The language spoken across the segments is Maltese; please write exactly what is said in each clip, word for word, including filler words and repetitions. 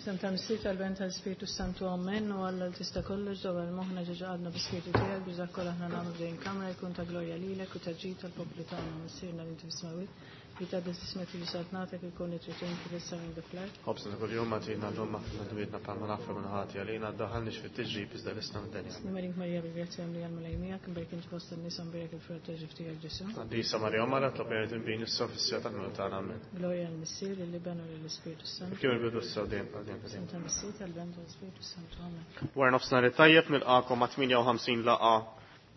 F'isem tal-Missier, tal-Iben, tal-Ispirtu Santu, Amen. U Alla li tista' kollox, dawwal moħħna ġo qalbna bl-Ispirtu tiegħek biex dak kollha aħna nagħmlu f'din kamra jkun ta' glorja lilek u ta' ġid tal-poplu tagħna. Missierna li inti fis-smewwiet, jitqaddes ismek, tiġi saltnatek, ikun li trid int kif fis-sema hekk fl-art. Ħobżna ta' kuljum agħtina llum, aħfrilna dnubietna bħalma naħfru min hu ħati għalina, ddaħħalniex fit-tiġrib iżda ħlisna mid-deni. Sliem għalik Marija, bil-grazzja mimlija, l-Mulej miegħek, imberka inti fost in-nisa, mbierek il-frott ta' ġuf tiegħek Ġesù. Qaddisa Marija Omm Alla, itlob għalina midinbin, issa u fis-siegħa tal-mewt tagħna. Amen. Glorja lill-Missier, lill-Iben u lill-Ispirtu Santu. Kif kien fil-bidu, issa u dejjem, għal dejjem ta' F'isem dejjem. tal-Missier, tal-Iben, tal-Ispirtu Santu. Amen. Wara nofsinhar it-tajjeb, nilqakom għat-tmienja u ħamsin laqgħa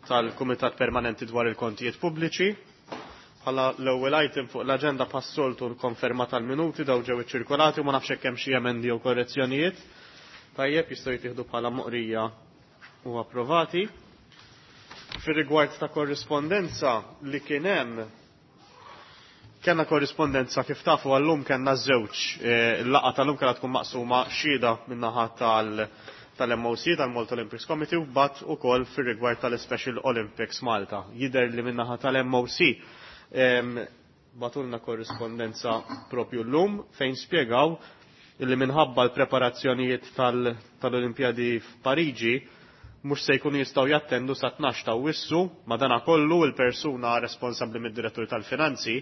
tal-Kumitat Permanenti dwar il-Kontijiet Pubbliċi. Bħala l-ewwel item fuq l-aġenda, bħas-soltu, l-konferma tal-minuti. Daw ġew iċċirkolati u ma nafx hekk hemm xi emendi jew korrezzjonijiet. Tajjeb, jistgħu jittieħdu bħala moqrija u approvati. Fir-rigward ta' korrispondenza li kien hemm, kellna korrispondenza, kif tafu, għallum kellna żewġ eh, il-laqgħa tal-lum kellha tkun maqsuma: xhieda min-naħa tal- tal-M O C, tal-Malta Olympics Committee, u bat ukoll fir-rigward tal-Special Olympics Malta. Jidher li min-naħa tal-M O C em, bagħtulna korrispondenza propju llum fejn spjegaw illi minħabba l-preparazzjonijiet tal- tal-Olimpjadi f'Pariġi mhux se jkunu jistgħu jattendu sa tnax ta' Awwissu. Madana kollu il-persuna responsabbli mid-direttur tal-finanzi,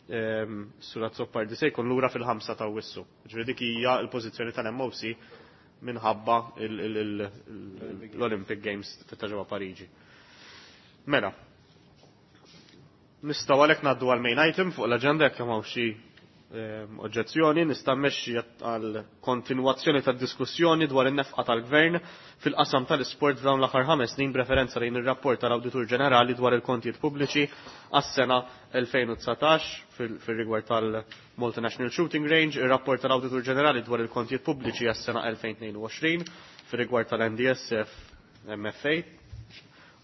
ehm, Sur Azzopardi, se jkun lura fil-ħamsa ta' Awwissu. Ġifieri dik hija l-pożizzjoni tal-M O C minħabba il- il- il- l-Olympic Games ta' ġewwa Pariġi. Mela, nistgħu għalhekk ngħaddu għal main item fuq l-aġenda jekk hemm xi ehm, oġġezzjoni. Nista' mmexxi għal kontinwazzjoni tad-diskussjoni dwar in-nefqa tal-Gvern fil-qasam tal-isport f'dawn l-aħħar ħames snin b'referenza lejn ir-rapport tal-Awditur Ġenerali dwar il-kontijiet pubbliċi għas-sena elfejn u dsatax fil-rigward tal-Malta National Shooting Range, ir-rapport tal-Awditur Ġenerali dwar il-kontijiet pubbliċi għas-sena elfejn u tnejn u għoxrin fil-rigward tal-N D S F M F A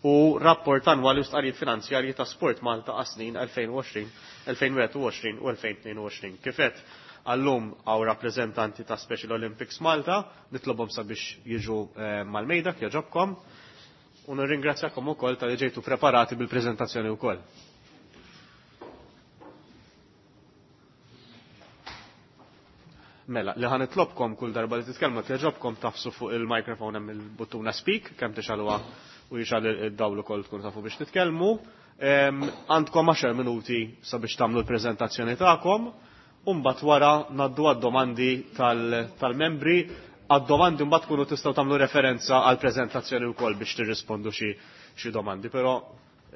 u rapport annwali u stqarrijiet finanzjarji ta' Sport Malta għas-snin elfejn u għoxrin, elfejn u wieħed u għoxrin u elfejn u tnejn u għoxrin. Kif għedt, għallum hawn rappreżentanti ta' Special Olympics Malta, nitlobhom sabiex jiġu eh, mal-mejda jogħġobkom u nirringrazzjakom ukoll talli ġejtu preparati bil-preżentazzjoni wkoll. Mela, li ħa nitlobkom, kull darba li titkellmu, jogħġobkom tagħfsu fuq il-mikrofon, hemm il-buttuna speak, kemm tixgħeluha u jixgħel id-dawl ukoll tkun tafu biex titkellmu. Em, Għandkom għaxar minuti sabiex tagħmlu l-preżentazzjoni tagħkom, u mbagħad wara ngħaddu għad-domandi tal-membri. Għad-domandi mbagħad tkunu tistgħu tagħmlu referenza għall-preżentazzjoni wkoll biex tirrispondu xi xi domandi, però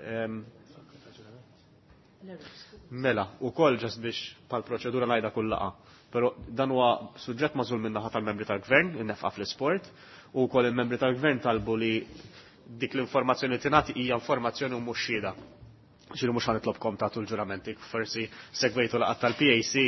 em, mela, ukoll just biex pal proċedura ngħidha kull laqgħa. Però dan huwa suġġett magħżul min-naħa tal-membri tal-gvern, in-nefqa fl-isport, u wkoll il-membri tal-gvern talbu li dik l-informazzjoni li tingħati hija informazzjoni u mhux xhieda. Ġifieri mhux ħa nitlobkom tagħtu l-ġuramenti, forsi segwejtu laqgħat tal-P A C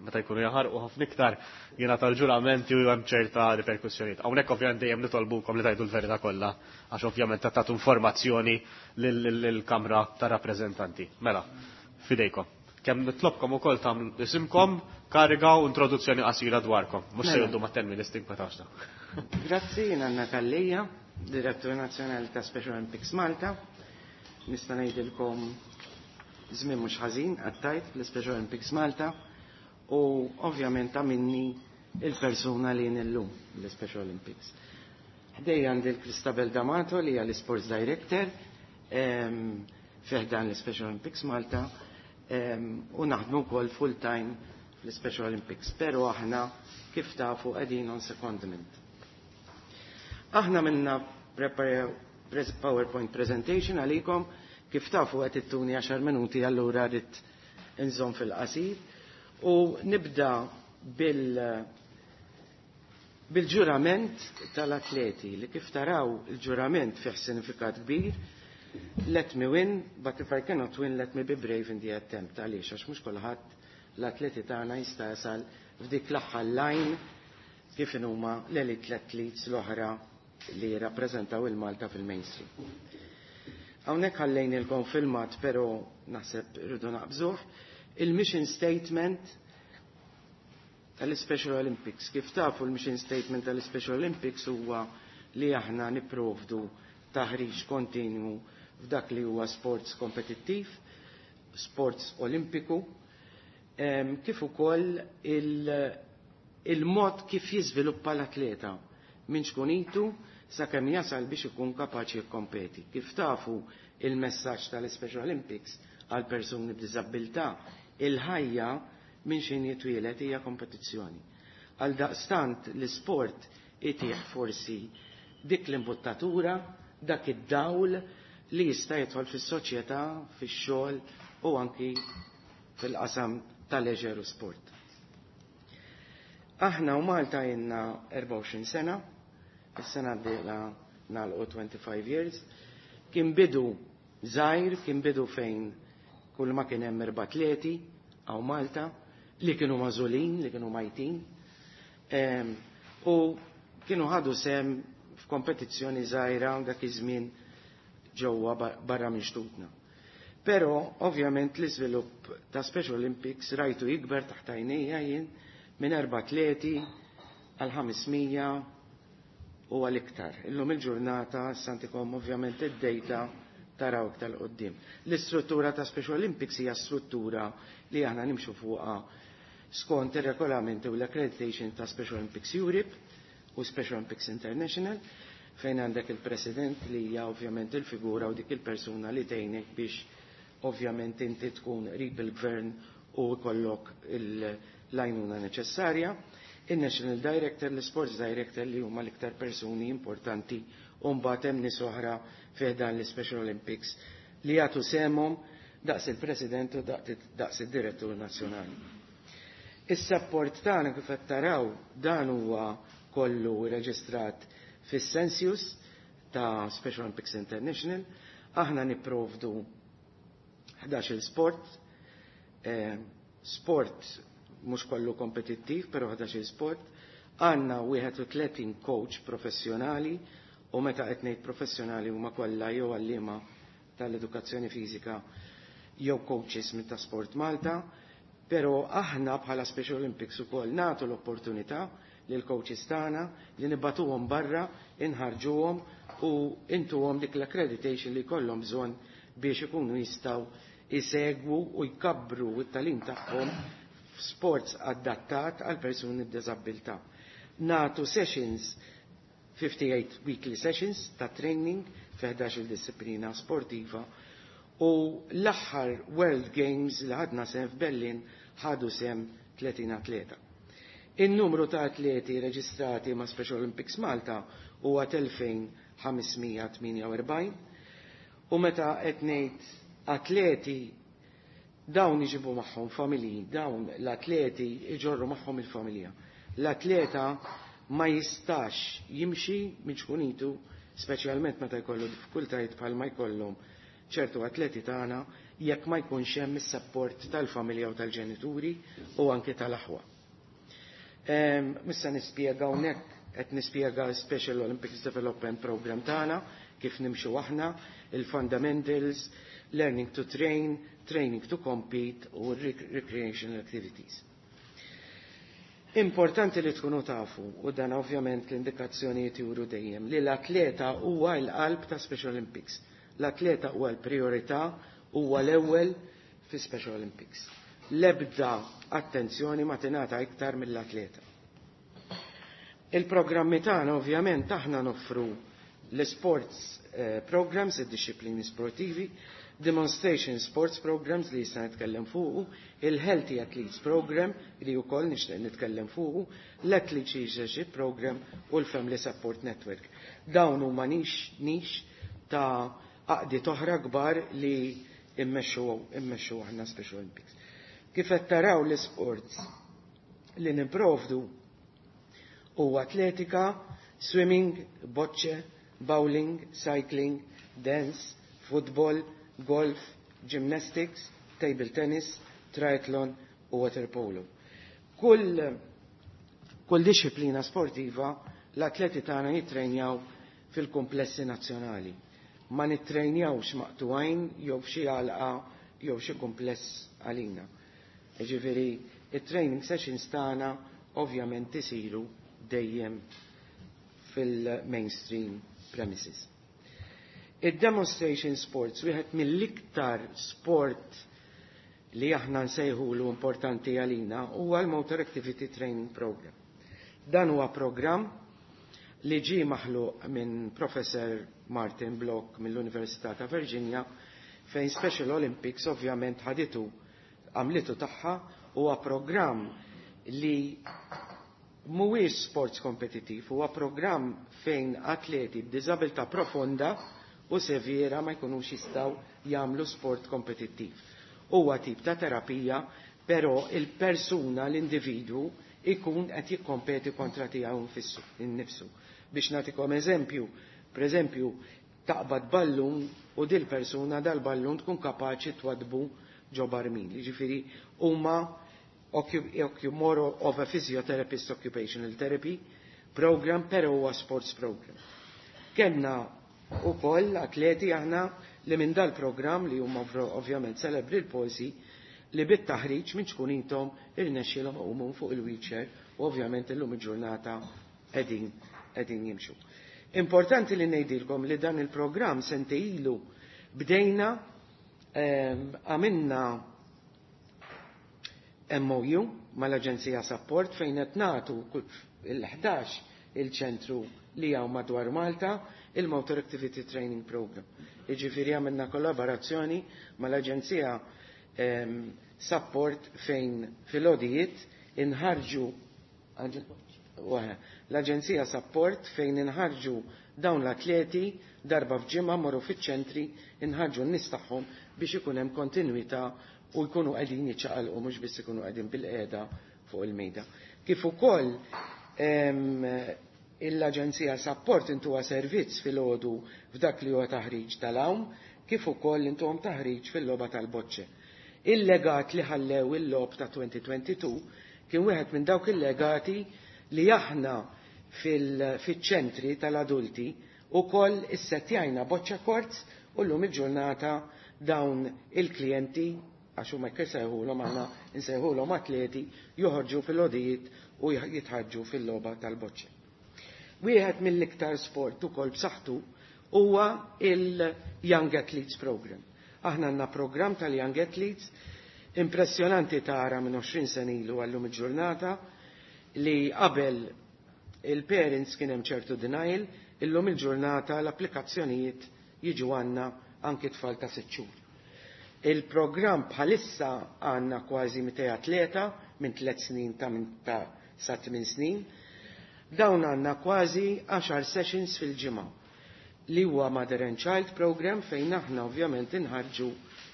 meta jkunu jaħarqu ħafna iktar jiena tal-ġuramenti u hemm ċerta riperkussjonijiet. Hawnhekk ovvjament dejjem nitolbukom li tgħidu l-verità kollha, għax ovvjament tagħtu informazzjoni lill-Kamra tar-Rappreżentanti. Mela, fidejkom. Kemm nitlobkom ukoll tagħmlu isimkom, kariga u introduzzjoni qasira dwarkom. Mhux se Mela. jgħoddu ma' ten minutes, tinkwetax. Grazzi, jien Anna Kallija, Direttur Nazzjonali ta' Special Olympics Malta. Nista' ngħidilkom żmien mhux ħażin għattajt fl-Special Olympics Malta u ovvjament ta' minni il-persuna li jien illum l-Special Olympics. Ħdejja għandi l-Christabel D'Amato li hija l-Sports Director em, fi ħdan l-Special Olympics Malta em, u naħdmu wkoll full-time fl-Special Olympics, pero aħna, kif tafu, qegħdin on secondment. Aħna minna prepare pres PowerPoint presentation għalikom, kif tafu qed ittuni għaxar minuti, allura rrid inżomm fil-qasir u nibda bil bil-ġurament tal-atleti li, kif taraw, il-ġurament fih sinifikat kbir: "Let me win, but if I cannot win, let me be brave in the attempt." Għaliex? Għax mhux kulħadd l-atleti tagħna jista' jasal f'dik l-aħħar line kif huma l-elite athletes l-oħra li rappreżentaw il-Malta fil-mainstream. Hawnhekk ħallejnilkom filmat, però naħseb rridu naqbżuh. Il-mission statement tal-Special Olympics. Kif tafu, il-mission statement tal-Special Olympics huwa li aħna nipprovdu taħriġ kontinwu f'dak li huwa sports kompetittiv, sports olimpiku, em, kif ukoll il Il-mod kif jiżviluppa l-atleta minn ċkunitu sakemm jasal biex ikun kapaċi jikkompeti. Kif tafu, il-messaġġ tal-Special Olympics għal persuni b'diżabilità: il-ħajja minn xejn jitwielet hija kompetizzjoni. Għal daqstant l-isport itih forsi dik l-imbuttatura, dak id-dawl li jista' jidħol fis-soċjetà, fix-xogħol u anki fil-qasam tal-leisure u sport. Aħna u Malta jenna erbgħa u għoxrin sena, is-sena d-dieħla nagħlqu twenty-five years. Kien bidu żgħir, kien bidu fejn kull ma kien hemm erba' atleti hawn Malta li kienu magħżulin, li kienu majtin. U kienu ħadu sehem f'kompetizzjoni żgħira dak iż-żmien ġewwa barra minn xtutna. Però ovvjament l-iżvilupp ta' Special Olympics rajtu jikber taħt għajnejja jien, minn erba' atleti għal ħames mija u għal iktar. Illum il-ġurnata sa ntikom ovvjament id-data taraw iktar qoddim. L-istruttura ta' Special Olympics hija struttura li aħna nimxu fuqha skont ir-regolamenti u l-accreditation ta' Special Olympics Europe u Special Olympics International, fejn għandek il-president li hija ovvjament il-figura u dik il-persuna li tgħinek biex ovvjament inti tkun qrib il-gvern u jkollok l-għajnuna neċessarja. Il-National Director, l-Sports Director, li huma l-iktar persuni importanti, u mbagħad hemm nies oħra fih dan l-Special Olympics li jagħtu sehemhom daqs il-President u daqs il-Direttur Nazzjonali. Is-support tagħna, kif qed taraw, dan huwa kollu reġistrat fis-Census ta' Special Olympics International. Aħna nipprovdu ħdax-il sport, eh, sport mhux kollu kompetittiv, però ħdax-il sport. Għandna wieħed u tletin coach professjonali, u meta qed ngħid professjonali huma kollha jew għalliema tal-edukazzjoni fiżika jew coaches minn ta' Sport Malta, però aħna bħala Special Olympics ukoll nagħtu l-opportunità lil coaches tagħna li nibagħtuhom barra, inħarġuhom u intuhom dik l-accreditation li jkollhom bżonn biex ikunu jistgħu isegwu u jkabbru t-tagħlim tagħhom f'sports adattat għal persuni b'diżabilità. Nagħtu sessions, fifty-eight weekly sessions ta' training fi ħdax-il disciplina sportiva, u l-aħħar World Games li ħadna sehem f'Berlin ħadu sehem tletin atleta. Il-numru ta' atleti reġistrati ma' Special Olympics Malta huwa elfejn ħames mija tmienja u erbgħin, u meta qed ngħid atleti, dawn iġibu magħhom familji, dawn l-atleti iġorru magħhom il-familja. L-atleta ma jistax jimxi minn ċkunitu, speċjalment meta jkollu diffikultajiet bħal ma jkollhom ċertu atleti tagħna, jekk ma jkunx hemm is-support tal-familja u tal-ġenituri u anke tal-aħwa. Issa nispjega hawnhekk, qed nispjega Special Olympics Development Program tagħna, kif nimxu aħna, il-fundamentals, learning to train, training to compete u recreational activities. Importanti li tkunu tafu, u dan ovvjament l-indikazzjonijiet juru dejjem, li l-atleta huwa l-qalb ta' Special Olympics. L-atleta huwa l-priorità, huwa l-ewwel fi Special Olympics. L-ebda attenzjoni ma tingħata iktar mill-atleta. Il-programmi tagħna, ovvjament aħna noffru l-sports eh, programs, id-disciplini sportivi, demonstration sports programs li jista' nitkellem fuqu, il-Healthy Athletes Program li wkoll nixtieq nitkellem fuqu, l-Athlete Leadership Program u l-Family Support Network. Dawn huma niche niche ta' għaqdiet oħra kbar li immexxu immexxu aħna Special Olympics. Kif qed taraw, l-sports li nipprovdu huwa atletika, swimming, bocce, bowling, cycling, dance, football, golf, gymnastics, table tennis, triathlon u water polo. Kull, kull disciplina sportiva l-atleti tagħna jitrenjaw fil-komplessi nazzjonali. Ma nitrenjawx maqtugħin jew f'xi għalqa jew xi kompless għalina. Ġifieri, it-training sessions tagħna ovvjament isiru dejjem fil-mainstream premises. Il-demonstration sports, wieħed mill-iktar sport li aħna nsejħulu importanti għalina, huwa l-Motor Activity Training Program. Dan huwa programm li ġie maħluq minn Professor Martin Block mill-Università ta' Virginia, fejn Special Olympics ovvjament ħaditu għamlitu tagħha. Huwa programm li mhuwiex sports kompetittiv, huwa programm fejn atleti b'diżabilità profonda u severa ma jkunux jistgħu jagħmlu sport kompetittiv. Huwa tip ta' terapija, però il-persuna, l-individwu, ikun qed jikkompeti kontra tiegħu innifsu. Biex nagħtikom eżempju, pereżempju, taqbad ballun u dil persuna dal-ballun tkun kapaċi twadbu ġo barmil. Jiġifieri huma more of a physiotherapist occupational therapy program, però huwa sports program. Kellna ukoll atleti aħna li minn dal-program li huma ovvjament cerebral palsy, li bit-taħriġ minn ċkunitom irnexxielhom iqumu fuq il-wheelchair u ovvjament illum il-ġurnata qegħdin qegħdin jimxu. Importanti li ngħidilkom li dan il-programm sentejn ilu bdejna, għamilna M O U mal-Aġenzija Support fejn qed nagħtu il-ħdax il-ċentru li hawn madwar Malta il-Motor Activity Training Program. Jiġifieri għamilna kollaborazzjoni mal-Aġenzija Support fejn fil-odijiet inħarġu l-Aġenzija Support fejn inħarġu dawn l-atleti darba f'ġimgħa, morru fiċ-ċentri, inħarġu n-nies tagħhom biex ikun hemm kontinwità u jkunu qegħdin jiċċaqalqu, mhux biss ikunu qegħdin bil-qiegħda fuq il-mejda. Kif ukoll l-Aġenzija Support intuha servizz fil-għodu f'dak li huwa taħriġ tal-għawm, kif ukoll intuhom taħriġ fil-logħba tal-boċċe. Il-legat li ħallew il-logħob ta' elfejn u tnejn u għoxrin kien wieħed minn dawk il-legati li aħna fil-ċentri tal-adulti ukoll issettjajna boċċa courts u llum il-ġurnata dawn il-klijenti, għax huma jekk insejħulhom, aħna nsejħulhom atleti, joħorġu fil-għodijiet u jitħarġu fil-logħba tal-boċċa. Wieħed mill-iktar sport ukoll b'saħħtu huwa il-Young Athletes Program. Aħna għandna program tal-Young Athletes impressjonanti, tara minn għoxrin sena ilu għallum il-ġurnata, li qabel il-parents kien hemm ċertu denial, illum il-ġurnata l-applikazzjonijiet jiġu għandna anki tfal ta' sitt xhur. Il-programm bħalissa għandna kważi mitejn atleta minn tliet snin ta' minn ta' sa' tmien snin. Dawn għandna kważi għaxar sessions fil-ġimgħa li huwa Mother and Child Program fejn aħna ovvjament inħarġu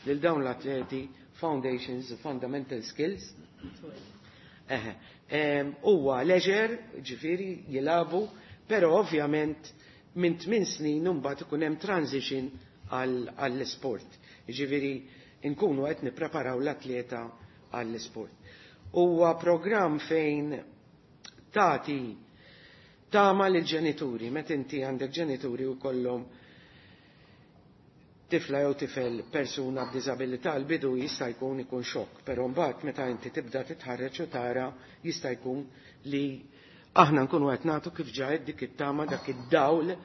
lil dawn l-atleti foundations, fundamental skills. Eħe. Huwa leisure, ġifieri jilagħbu, però ovvjament minn tmien snin mbagħad ikun hemm transition għall-sport. Ġifieri nkunu qed nippreparaw l-atleta għall-sport. Huwa programm fejn tagħti tama lil ġenituri, meta inti għandek ġenituri u kollhom tifla jew tifel persuna b'diżabilità, l-bidu jista' jkun ikun xokk, però mbagħad meta inti tibda titħarreġ u tara, jista' jkun li aħna nkunu qed nagħtu kif ġajt dik it-tama, dak id-dawl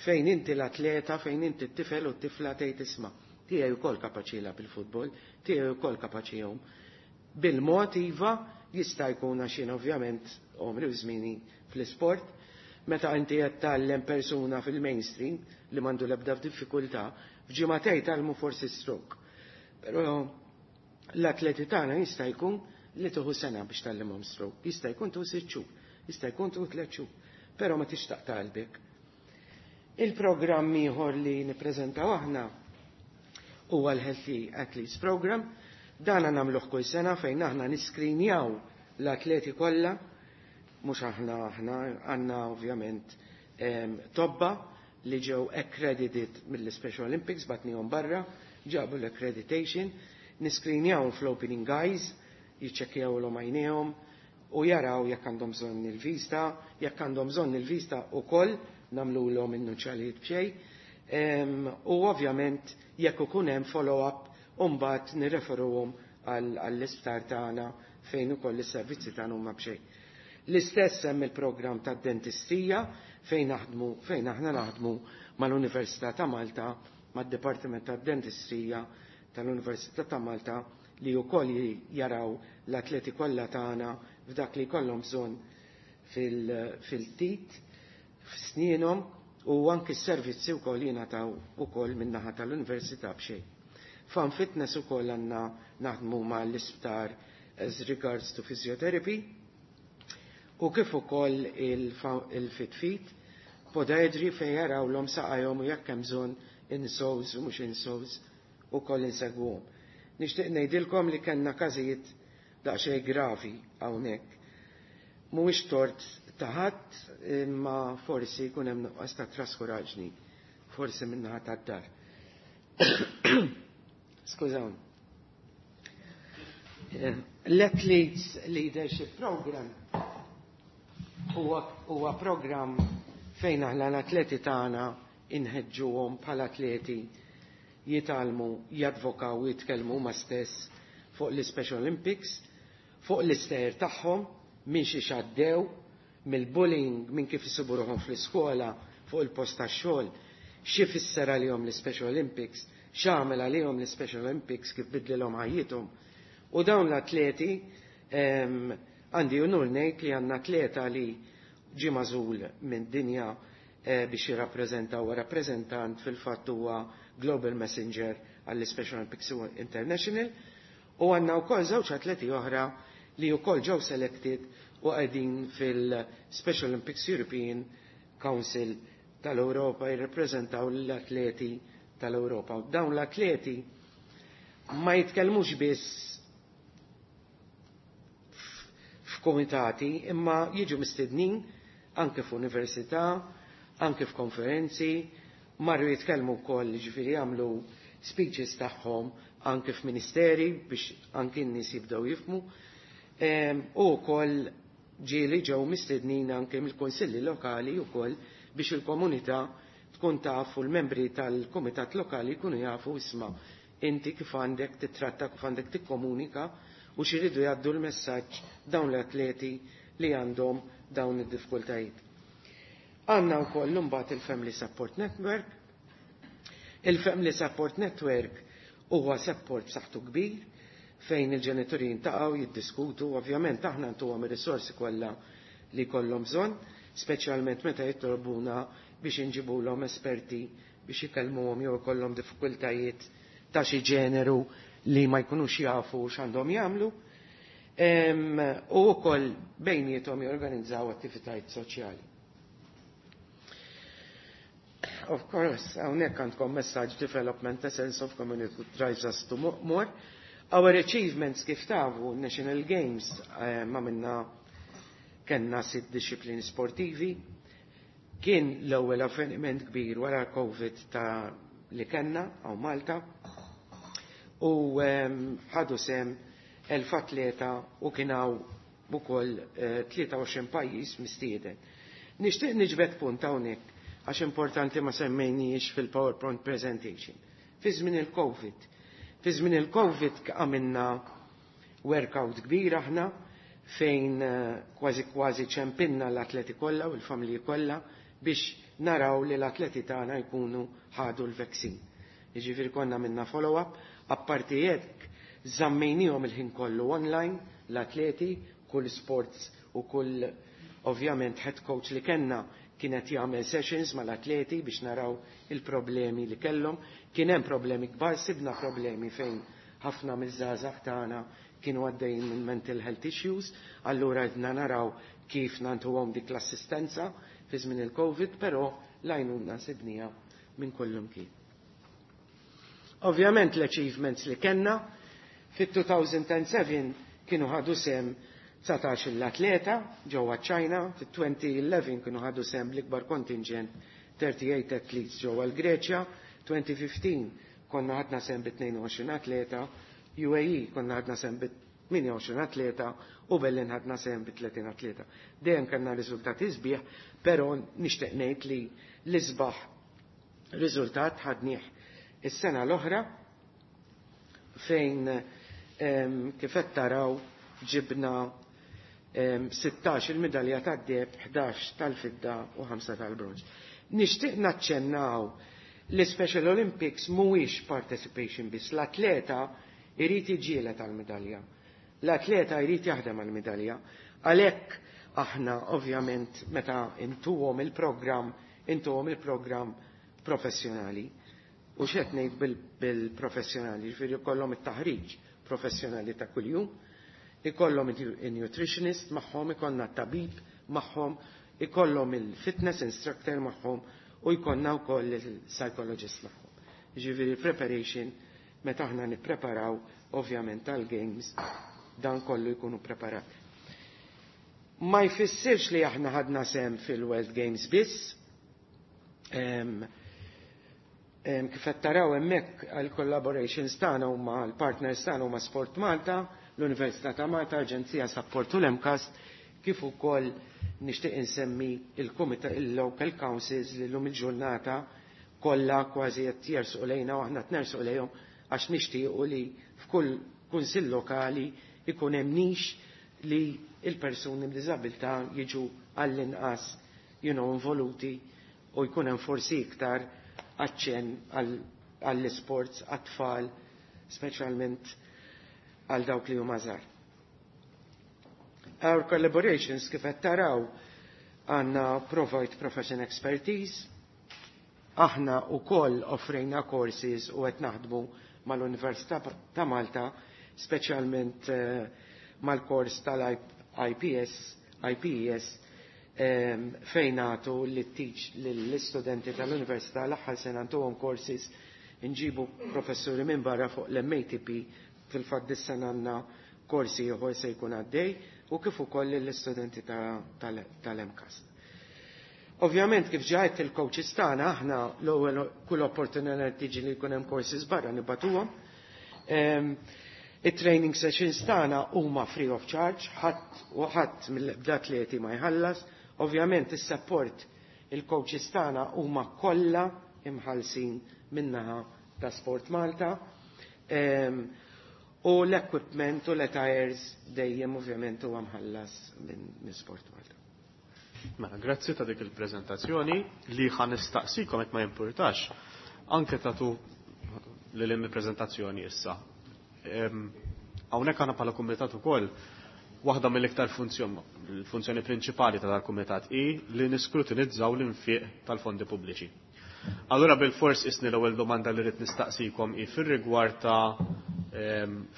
fejn inti l-atleta, fejn inti t-tifel u t-tifla tgħid, "Isma', tiegħi wkoll kapaċi jilgħab il-futbol, tiegħi wkoll kapaċi jgħum." Bil-mod iva jista' jkun, għax jien ovvjament għomri u żmieni fl-isport, meta inti qed tgħallem persuna fil-mainstream li m'għandu l-ebda f'diffikultà, f'ġimagħtejn tgħallmu forsi stroke. Però l-atleti tagħna jista' jkun li tieħu sena biex tgħallimhom stroke, jista' jkun tieħu sitt xhur, jista' jkun tieħu tliet xhur, però ma tixtaq qalbek. Il-programm ieħor li nippreżentaw aħna huwa l-Healthy Athletes Program. Dana nagħmluh kull sena fejn aħna niskrinjaw l-atleti kollha, mhux aħna, aħna għandna ovvjament tobba li ġew accredited mill-Special Olympics, bgħatnihom barra, ġabu l-accreditation, niskrinjaw fl-opening eyes, jiċċekkjaw l għajnejhom u jaraw jekk għandhom bżonn il-vista, jekk għandhom bżonn il-vista ukoll nagħmluhom in-nuċċalijiet b'xejn. U ovvjament jekk ikun hemm follow-up, u mbagħad nirreferuhom għall-isptar tagħna fejn ukoll is-servizzi tagħna huma b'xejn. L-istess hemm il-programm tad-dentistija fejn naħdmu fejn aħna naħdmu mal-Università ta' Malta, mad-Dipartiment tad-Dentistrija tal-Università ta' Malta, li wkoll jaraw l-atleti kollha tagħna f'dak li jkollhom bżonn. fil-tit, f'snienhom, u anki s-servizzi wkoll jingħataw ukoll min-naħa tal-università b'xejn. Fan Fitness ukoll għandna naħdmu mal-isptar as regards to physiotherapy, u kif ukoll il-Fit Feet, podiatry fejn jarawlhom saqajhom u jekk hemm bżonn insoles u mhux insoles ukoll insegwuhom. Nixtieq ngħidilkom li kellna każijiet daqsxejn gravi hawnhekk. Mhuwiex tort ta' ħadd, imma forsi jkun hemm nuqqas ta' traskuraġni, forsi min-naħa tad-dar. Skużawni. L-Athletes Leadership Program huwa program fejn aħna l-atleti tagħna inħeġġuhom bħala atleti jitgħallmu, jadvokaw u jitkellmu huma stess fuq l-Special Olympics, fuq l-istejjer tagħhom, minn xi xaddew, mill-bullying, minn kif isibu ruħhom fl-iskola, fuq il-post tax-xogħol, xi fisser għalihom l-Special Olympics, x'għamel għalihom l-Special Olympics, kif bidlilhom ħajjithom. U dawn l-atleti, għandi unur ngħid li għandna atleta li ġie magħżul minn dinja biex jirrappreżenta, huwa rappreżentant, fil-fatt huwa Global Messenger għall-Special Olympics International, u għandna wkoll żewġ atleti oħra li wkoll ġew selected u qegħdin fil-Special Olympics European Council tal-Ewropa jirrappreżentaw l-atleti tal-Ewropa. Dawn l-atleti ma jitkellmux biss f'komitati, imma jiġu mistednin anke f'università, anke f'konferenzi, marru jitkellmu wkoll, ġifieri jagħmlu speeches tagħhom anke f'ministeri biex anke n-nies jibdew jifhmu. U wkoll ġieli ġew mistednin anke mill-kunsilli lokali wkoll biex il-komunità tkun taf u l-membri tal-kumitat lokali jkunu jafu isma' inti kif għandek titratta, kif għandek tikkomunika u x'iridu jgħaddu l-messaġġ dawn l-atleti li għandhom dawn id-diffikultajiet. Għandna wkoll imbagħad il-Family Support Network. Il-Family Support Network huwa support b'saħħtu kbir fejn il-ġenituri jintaqgħu jiddiskutu, ovvjament aħna ntuhom ir-risorsi kollha li jkollhom bżonn, speċjalment meta jitolbuna biex inġibulhom esperti biex ikellmuhom jew ikollhom diffikultajiet ta' xi ġeneru li ma jkunux jafu x'għandhom jagħmlu. U wkoll bejniethom jorganizzaw attivitajiet soċjali. Of course, hawnhekk għandkom messaġġ development, a sense of community drives us to more. Our achievements kif tafu, National Games, ma minna kellna sitt disciplini sportivi. Kien l-ewwel avveniment kbir wara Covid ta' li kellna hawn Malta. U ħadu sem elf atleta u kien hawn ukoll tlieta u għoxrin pajjiż mistieden. Nixtieq niġbed punt hawnhekk għax importanti ma semmejniex fil-PowerPoint presentation. Fi żmien il-Covid. Fi żmien il-Covid għamilna workout kbir aħna fejn kważi kważi ċempinna l-atleti kollha u l-familji kollha biex naraw li l-atleti tagħna jkunu ħadu l-vaccine. Jiġifieri konna minna follow-up, apparti hekk żammejniehom il-ħin kollu online l-atleti, kull sports u kull ovvjament head coach li kellna kienet jagħmel sessions mal-atleti biex naraw il-problemi li kellhom. Kien hemm problemi kbar, sibna problemi fejn ħafna miż-żgħażagħ tagħna kienu għaddejjin minn mental health issues, allura qedna naraw kif nantuhom dik l-assistenza fi żmien il-Covid, però l-għajnuna sibnija minn kullum kien. Ovvjament l-achievements li kellna fit-two thousand and seven kienu ħadu sem dsatax l-atleta ġewwa ċ-Ċina, fit-twenty eleven kienu ħadu sem l-ikbar kontingent thirty-eight athletes ġewwa l-Greċja, twenty fifteen konna ħadna sem bi tnejn u għoxrin atleta, U A E konna ħadna sem bi tmienja u għoxrin atleta u Berlin ħadna sem bi tletin atleta. Dejjem kellna riżultati sbieħ, però nixtieq ngħid li l-isbaħ riżultat ħadnieh is-sena l-oħra fejn, em, kif qed taraw ġibna, em, sittax il-medalja tad-deheb, ħdax tal-fidda u ħamsa tal-bronż. Nixtieq naċċennaw li Special Olympics mhuwiex participation biss, l-atleta irid iġieled għall-medalja. L-atleta jrid jaħdem għall-medalja. Għalhekk Aħna ovvjament meta intuhom il-programm, intuhom il-programm professjonali. U x'qed ngħid bil-professjonali, ġifieri jkollhom it-taħriġ professjonali ta' kuljum, ikollhom il-nutritionist magħhom, ikollna tabib magħhom, ikollhom il-fitness instructor magħhom u jkollna wkoll il-psychologist magħhom. Ġifieri preparation meta aħna nippreparaw ovvjament tal-games dan kollu jkunu preparati. Ma jfissirx li aħna ħadna sem fil-World Games biss. Kif qed taraw hemmhekk għall-collaborations tagħna huma l-partners tagħna huma Sport Malta, l-Università ta' Malta, Aġenzija Support u l-MCAST, kif ukoll nixtieq insemmi il-Kumitat il-Local Councils li llum il-ġurnata kollha kważi qed jersqu lejna u aħna qed nersqu lejhom għax nixtiequ li f'kull kunsill lokali ikun hemm nix li il-persuni b'diżabilità jiġu għall-inqas you know, involuti u jkun hemm forsi iktar aċċenn għall-sports, għat-tfal, speċjalment għal dawk li huma żgħar. Our collaborations kif qed taraw għandna provide profession expertise, aħna wkoll offrejna courses u qed naħdmu mal-Università ta' Malta, speċjalment eh, mal-kors tal-I P S, I P E S, fejn nagħtu li teach lill-istudenti tal-Università. L-aħħar sena ntuhom courses, nġibu professuri minn barra fuq l-M A T P. Fil-fatt dis-sena għandna korsi ieħor se jkun għaddej u kif ukoll l-istudenti tal-MCAST. Ovvjament, kif ġajt il-coaches tagħna, aħna l-ewwel kull opportunità tiġi li jkun hemm courses barra nibagħtuhom. Il-training sessions tagħna huma free of charge, ħadd u ħadd mill-atleti ma jħallas. Ovvjament is-support, il-coaches tagħna huma kollha imħallsin min-naħa ta' Sport Malta. U l-equipment u l-attires dejjem ovvjament huwa mħallas minn Sport Malta. Mela, grazzi ta' dik il-prezentazzjoni. Li ħa nistaqsikom, jekk ma jimpurtax, anke tatu li l prezentazzjoni issa. Hawnhekk għandna bħala kumitat ukoll waħda mill-iktar funzjoni, il-funzjoni prinċipali ta' dal-kumitat hi li niskrutinizzaw l-infiq tal-fondi pubbliċi. Allura bil-fors isni l-ewwel domanda li rrid nistaqsikom hi fir-rigward ta'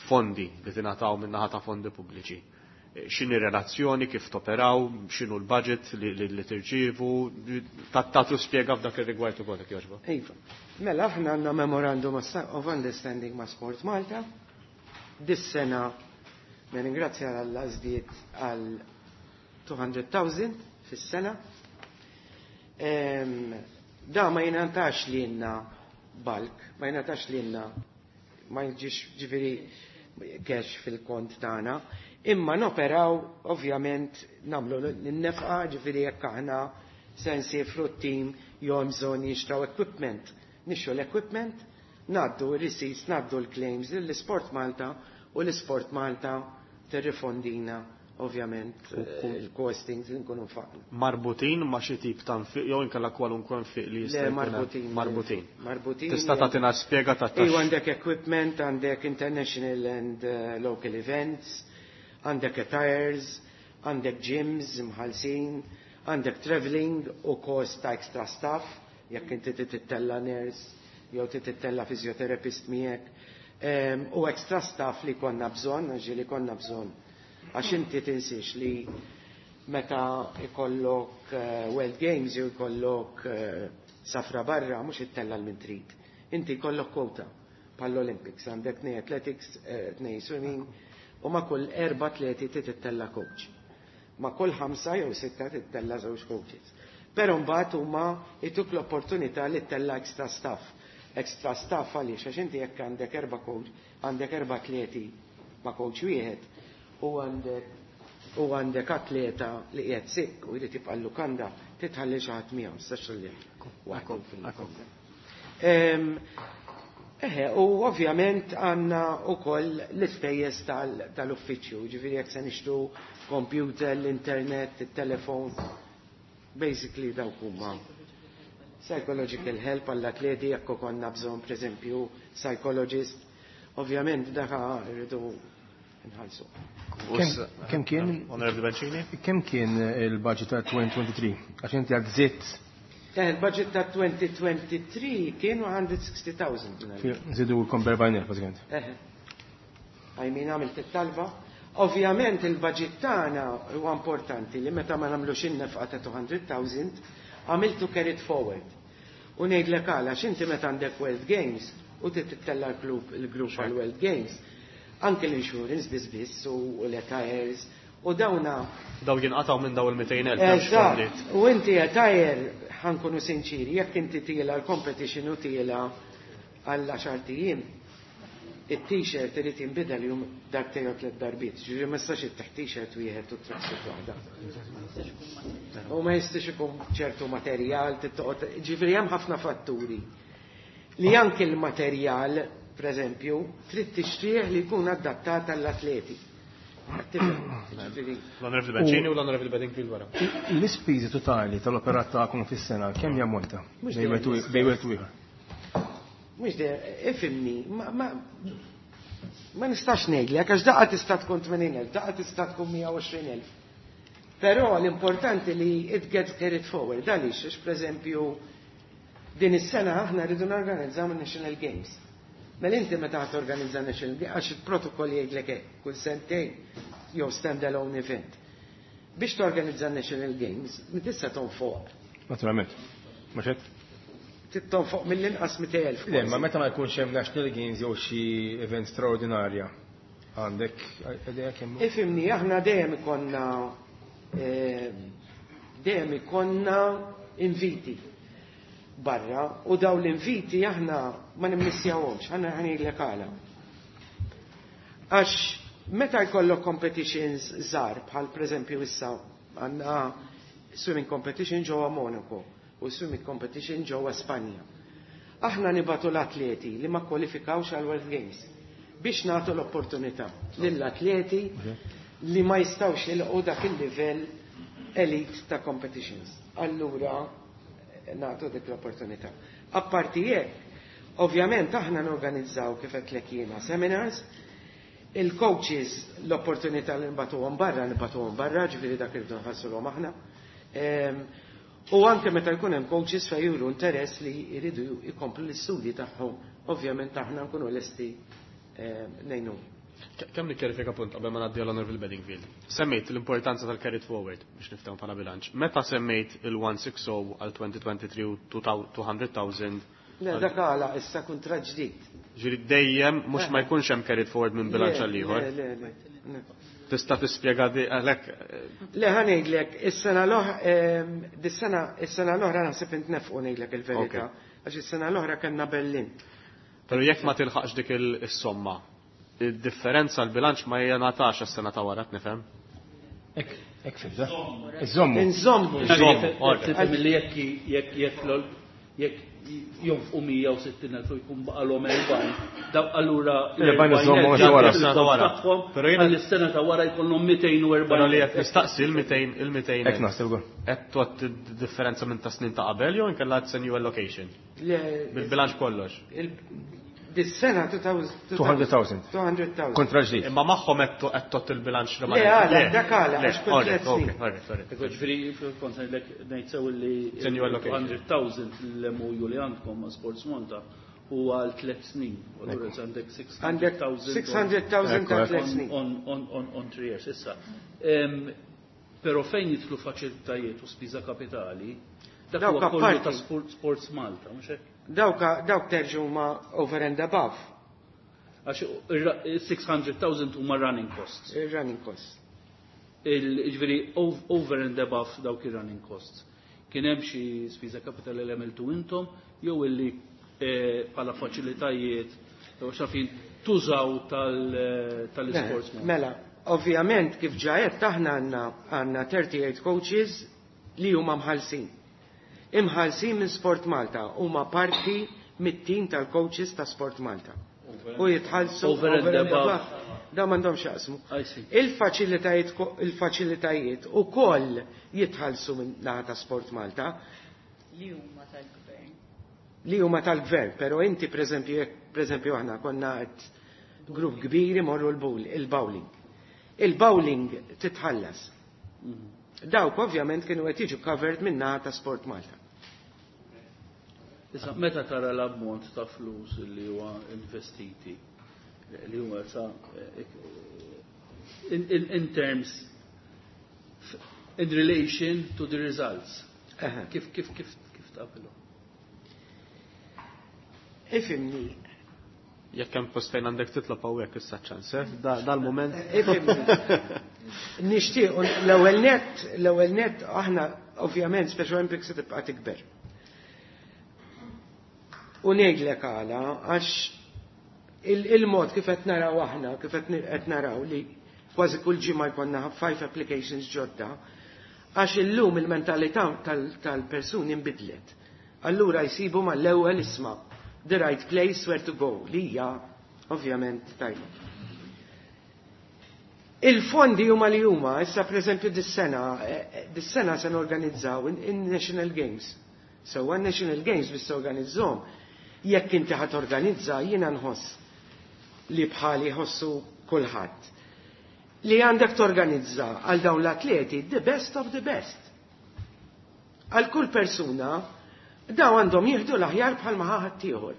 fondi li tingħataw min-naħa ta' fondi pubbliċi. X'inhi relazzjoni, kif toperaw, x'inhu l-budget li, li, li tirċievu, tagħtu spjega f'dak ir-rigward ukoll, jekk jogħġbok. Iva. Mela aħna għandna memorandum of understanding ma' Sport Malta. Dis-sena nirringrazzja Alla żdied għal elfejn u mitejn fis-sena. Da ma jingħatax lilna bulk, ma jingħatax lilna, ma jġix ġifieri cash fil-kont tagħna, imma noperaw ovvjament nagħmlu n-nefqa, ġifieri jekk aħna se nsifru t-team jew bżonn jixtraw equipment. Nixtru l-equipment, ngħaddu r-receipts, ngħaddu l-claims l-Sport Malta u l-Sport Malta tirrifondina ovvjament eh, il-costings li nkunu nfaqna. Marbutin ma' xi tip ta' nfiq jew inkella kwalunkwe nfiq li jista' Le, marbutin. Marbutin. Marbutin. Tista' tagħtina spjega ta' Iva, għandek equipment, għandek international and uh, local events, għandek attires, għandek gyms mħallsin, għandek traveling u cost ta' extra staff, jekk inti tittella nurse jew tittella physiotherapist miegħek, um, u extra staff li konna bżonn, għax li konna bżonn. Għax inti tinsiex li meta ikollok uh, World Games jew ikollok uh, safra barra, mhux ittella l min trid. Inti jkollok kwota bħall-Olympics, għandek tnejn athletics, eh, tnejn swimming, u ma' kull erba' atleti tittella coach. Ma' kull ħamsa jew sitta tittella żewġ coaches. Però mbagħad huma jtuk l-opportunità li ttella extra staff. Extra staff għaliex? Għax inti jekk għandek erba' coach, għandek erba' atleti ma' coach wieħed u għandek u għandek atleta li qiegħed sick u jrid jibqa' l-lukanda, titħalli xi ħadd miegħu, tistax tħalli waħdu fil-lukanda. Eħe, u ovvjament għandna wkoll l-ispejjeż tal-uffiċċju, ġifieri jekk se nixtru computer, l-internet, il-telefon, basically dawk huma. Psychological help għall-atleti jekk konna bżonn, pereżempju, psychologist, ovvjament daka rridu nħallsu. Kemm kien? Onorevoli Bencini? Kemm kien il-budget ta' twenty twenty-three? Għax inti għad żidt. Eh, il-budget ta' twenty twenty-three kien one hundred sixty thousand. Żidu l-erbgħin elf, bażikament. Eh. I mean, għamilt it-talba. Ovvjament il-budget tagħna huwa importanti li meta ma nagħmlux in-nefqa ta' two hundred thousand għamiltu carried forward. U ngħidlek għala, x'inti meta għandek World Games u tittella l-klub il-grupp għal World Games, anke l-insurance biss biss u l-attires u dawna. Daw jinqataw minn daw il-mitejn elf. Eżatt. U inti attire, ħa nkunu sinċiri, jekk inti tiela l-competition u tiela għal għaxart ijiem, it-t-shirt irid jinbidel jum darbtejn jew tliet darbiet. Ġifieri ma jistax ittih t-shirt wieħed u tracksuit waħda. U ma jistax ikun ċertu materjal, tittoqgħod, ġifieri hemm ħafna fatturi. Li anke l-materjal, per eżempju, trid tixtrih li jkun adattat għall-atleti. Ġifieri, L-Onorevoli Bencini u l-Onorevoli Bedingfield wara. L-ispiżi totali tal-operat tagħkom fis-sena kemm jammonta? Mhux Bejn wieħed u- bejn wieħed u ieħor. Mhux de, ifhimni, ma, ma, ma nistax ngħidlek għax daqqa tista' tkun tmenin elf, daqqa tista' tkun mija u għoxrin elf. Però l-importanti li it gets carried forward, għaliex, għax pereżempju din is-sena aħna rridu norganizzaw il-National Games. Mela inti meta ħa torganizza National Games, għax il-protokoll jgħidlek hekk, kull sentejn jew stand-alone event. Biex torganizza National Games, tista' tonfoq. Naturalment. Mhux hekk? Tonfoq mill-inqas mitejn elf. Le, ma meta ma jkunx hemm National Games jew xi event straordinarja, għandek idea kemm? Ifhimni, aħna dejjem ikonna eh, dejjem ikonna inviti barra u daw l-inviti aħna ma nimmissjawhomx, aħna ħa ngħidlek għala. Għax meta jkollok competitions żgħar bħal pereżempju issa għandna swimming competition ġewwa Monaco u swimming competition ġewwa Spanja. Aħna nibagħtu l-atleti li ma kwalifikawx għal World Games biex nagħtu l-opportunità lill-atleti li ma jistawx jilqu dak il-livell elite ta' competitions. Allura nagħtu dik l-opportunità. Apparti hekk, ovvjament aħna norganizzaw, kif qed jiena, seminars, il-coaches l-opportunità li nibagħtuhom barra, nibagħtuhom barra, ġifieri dak irridu nħallsuhom aħna. Em, U anke meta jkun hemm coaches fejn juru interess li jridu jkomplu l-istudji tagħhom, ovvjament aħna nkunu lesti em, ngħinu. Kemm nikkjarifika punt qabel ma ngħaddi għall-Onorevoli Bedingfield. Semmejt l-importanza tal-carried forward biex niftehmu bħala bilanċ. Meta semmejt il-one sixty għal twenty twenty-three u two hundred thousand? Le, dak għala issa kuntratt ġdid. Ġifieri dejjem mhux ma jkunx hemm carried forward minn bilanċ għal ieħor. Le, le, le, le. Tista' tispjega di għalhekk? Le, ħa ngħidlek, is-sena l-oħra, dis-sena, is-sena l-oħra naħseb intnefqu, ngħidlek il-verità. Għax is-sena l-oħra kellna Berlin. Però jekk ma tilħaqx dik il-somma, il-differenza l-bilanċ ma jingħatax għas-sena ta' wara, nifhem? Hekk, hekk fimta. Iżommu. Inżommu. Inżommu, alright. Tifhem li jekk jekk jekk l- jekk jonfqu mija u sittin elf u jkun baqalhom erbgħin. Daw allura L-erbgħin iżommu ta' wara. Sena ta' wara. Però jiena- Għall-sena ta' wara jkollhom mitejn u erbgħin. Però li qed nistaqsi il-mitejn il-mitejn Hekk naħseb ukoll. Qed tugħod differenza minn ta' snin ta' qabel jew inkella it's a new allocation? Le, Bil-bilanċ kollox. il- Dis-sena two hundred thousand. two hundred thousand. Kontra ġdid. Imma magħhom qed qed tot il-bilanċ li Le, għala, dak għala, għax kull Alright, tliet snin. okay, alright, alright. Ekku ġifieri, kont ngħidlek ngħid sew li It's a new allocation. two hundred thousand l-M O U li għandkom ma' Sports Malta huwa għal tliet snin. U allura għandek Għandek six hundred thousand six hundred thousand ta' Ekku, tliet snin. on, on, on, on three years. Issa. Em, Pero fejn jidħlu faċilitajiet u spiża kapitali, dak Dawk huwa kollu apparti. ta' Sport- Sports Malta, mhux hekk? Dawk dawk terġu ma over and above Għax ir- six hundred thousand huma running costs. il-running costs. Il- Ġifieri ov- over and above dawk ir-running costs. Kien hemm xi spiża kapitali li għamiltu intom jew illi eh, bħala faċilitajiet jew xafin tużaw tal- eh, tal-Sports Malta. Mela, ovvjament kif ġajet aħna għandna għandna thirty-eight coaches li huma mħallsin. Imħallsin minn Sport Malta, huma parti mit-team tal-coaches ta' Sport Malta. U jitħallsu Over and above. Da m'għandhomx jaqsmu. I see. Il-faċilitajiet il-faċilitajiet ukoll jitħallsu minn naħa ta' Sport Malta Li huma tal-gvern. Li huma tal-gvern, pero inti pereżempju jekk pereżempju aħna konna qed grupp kbir imorru l-bowl- il-bowling. Il-bowling titħallas. Dawk ovvjament kienu qed jiġu covered minna ta' Sport Malta. Issa, meta tara l-ammont ta' flus li huwa investiti, li huwa sa in, in, in terms in relation to the results. Kif kif kif kif tqablu? Ifhimni. Jekk hemm post fejn għandek titlob hawnhekk issa ċans, eh? Dal-mument. Ifhimni. Nixtieq l-ewwel net, l-ewwel net aħna ovvjament Special Olympics se tibqa' tikber. U ngħidlek għala għax il-mod kif qed naraw aħna, kif qed naraw li kważi kull ġimgħa jkollna five applications ġodda, għax illum il-mentalità tal-persuni nbidlet. Allura jsibu mal-ewwel isma' the right place where to go, li hija ovvjament tajba. Il-fondi huma li huma, issa pereżempju dis-sena, dis-sena se norganizzaw in-National Games. So, National Games biex organizzhom, jekk inti ħa torganizza, jiena nħoss li bħali jħossu kulħadd. Li għandek torganizza għal dawn l-atleti the best of the best. Għal kull persuna, daw għandhom jieħdu l-aħjar bħal ma ħadd ieħor.